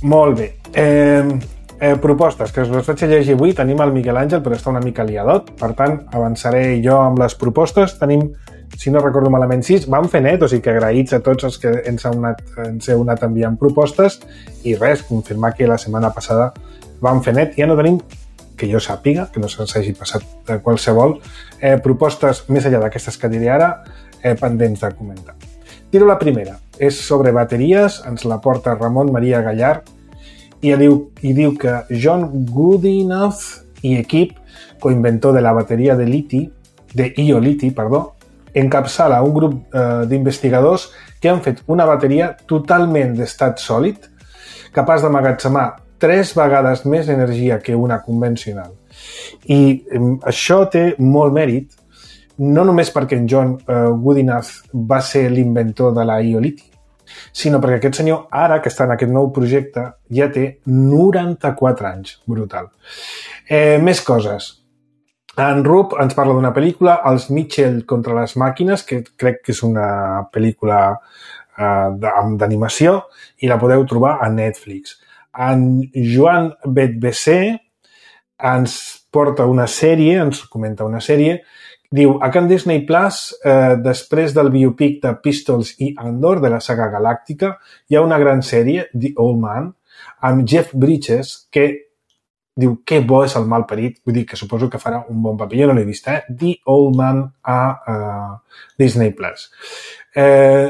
Molt bé. Eh... Eh, propostes, que us les vaig a llegir avui. Tenim el Miquel Àngel, però està una mica liadot. Per tant, avançaré jo amb les propostes. Tenim, si no recordo malament, sis. Vam fer net, o sigui que agraïts a tots els que ens heu anat, ens heu anat enviant propostes. I res, confirmar que la setmana passada vam fer net. Ja no tenim, que jo sàpiga, que no se'ns hagi passat de qualsevol, eh, propostes més enllà d'aquestes que diré ara, eh, pendents de comentar. Tiro la primera. És sobre bateries. Ens la porta Ramon Maria Gallard. I diu, i diu que John Goodenough i equip, coinventor de la bateria de liti, de ioliti, perdó, encapçala un grup eh, d'investigadors que han fet una bateria totalment d'estat sòlid, capaç d'emmagatzemar tres vegades més energia que una convencional. I eh, això té molt mèrit, no només perquè en John eh, Goodenough va ser l'inventor de la ioliti, sinó perquè aquest senyor, ara que està en aquest nou projecte, ja té noranta-quatre anys. Brutal. Eh, més coses. En Rup ens parla d'una pel·lícula, Els Mitchell contra les màquines, que crec que és una pel·lícula eh, d'animació, i la podeu trobar a Netflix. En Joan Betbesé ens porta una sèrie, ens comenta una sèrie. Diu, a Can Disney Plus, eh, després del biopic de Pistols i Andor, de la saga galàctica, hi ha una gran sèrie, The Old Man, amb Jeff Bridges, que diu, que bo és el malparit, vull dir que suposo que farà un bon paper, jo no l'he vist, eh? The Old Man a uh, Disney Plus. Eh,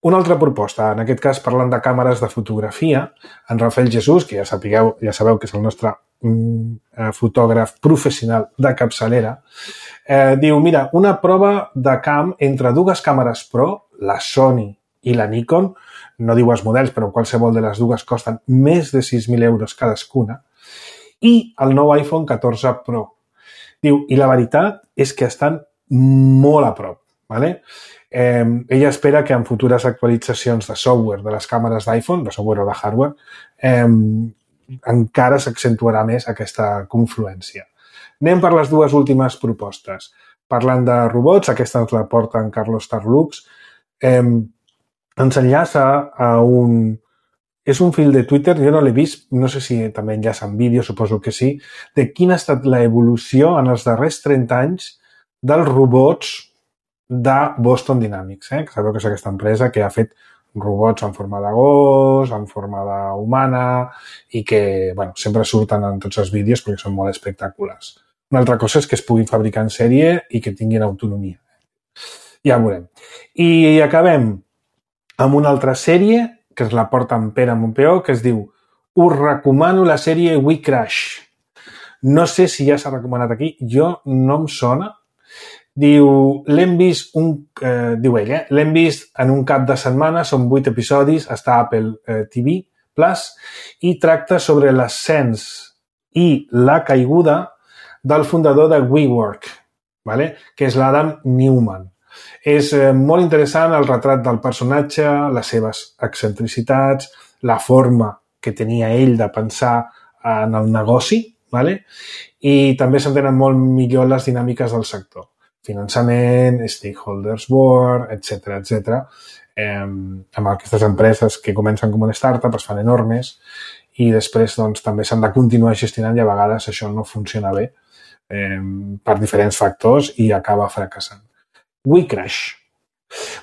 una altra proposta, en aquest cas parlant de càmeres de fotografia, en Rafael Jesús, que ja sapigueu, ja sabeu que és el nostre mm, fotògraf professional de capçalera, Eh, diu, mira, una prova de camp entre dues càmeres Pro, la Sony i la Nikon, no diu els models, però qualsevol de les dues costen més de sis mil euros cadascuna, i el nou iPhone catorze Pro. Diu, i la veritat és que estan molt a prop. ¿Vale? Eh, ella espera que en futures actualitzacions de software de les càmeres d'iPhone, de software o de hardware, eh, encara s'accentuarà més aquesta confluència. Anem per les dues últimes propostes. Parlant de robots, aquesta ens la porta en Carlos Tarlux, eh, ens enllaça a un... És un fil de Twitter, jo no l'he vist, no sé si també enllaça en vídeo, suposo que sí, de quina ha estat l'evolució en els darrers trenta anys dels robots de Boston Dynamics. Eh? Sabeu que és aquesta empresa que ha fet robots en forma de gos, en forma d'humana, i que bueno, sempre surten en tots els vídeos perquè són molt espectaculars. Una altra cosa és que es puguin fabricar en sèrie i que tinguin autonomia. Ja ho veurem. I acabem amb una altra sèrie que es la porta en Pere Montpeó, que es diu Us recomano la sèrie We Crash. No sé si ja s'ha recomanat aquí, jo no em sona. Diu, l'hem vist, un, eh, diu ell, eh? l'hem vist en un cap de setmana, són vuit episodis, està a Apple eh, T V Plus, i tracta sobre l'ascens i la caiguda del fundador de WeWork, ¿vale? Que és l'Adam Newman. És eh, molt interessant el retrat del personatge, les seves excentricitats, la forma que tenia ell de pensar en el negoci, ¿vale? I també s'entenen molt millor les dinàmiques del sector. Finançament, stakeholders board, etcètera, etcètera. Eh, amb aquestes empreses que comencen com una startup, es fan enormes i després doncs, també s'han de continuar gestionant i a vegades això no funciona bé eh, per diferents factors i acaba fracassant. We Crash.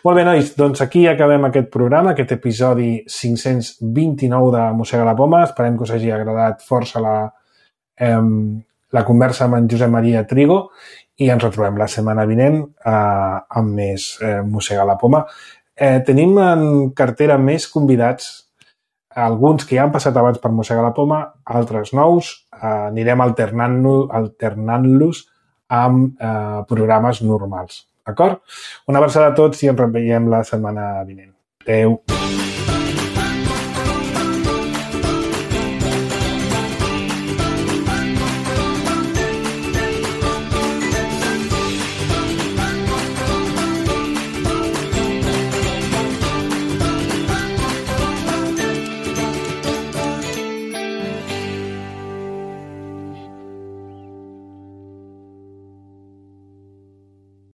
Molt bé, nois, doncs aquí acabem aquest programa, aquest episodi cinc-cents vint-i-nou de Mossega la Poma. Esperem que us hagi agradat força la, eh, la conversa amb en Josep Maria Trigo i ens retrobem la setmana vinent eh, amb més eh, Mossega la Poma. Eh, tenim en cartera més convidats, alguns que ja han passat abans per Mossega la Poma, altres nous. Eh, anirem alternant-los alternant-los amb eh, programes normals. D'acord? Una abraçada a tots i ens reveiem la setmana vinent. Adéu.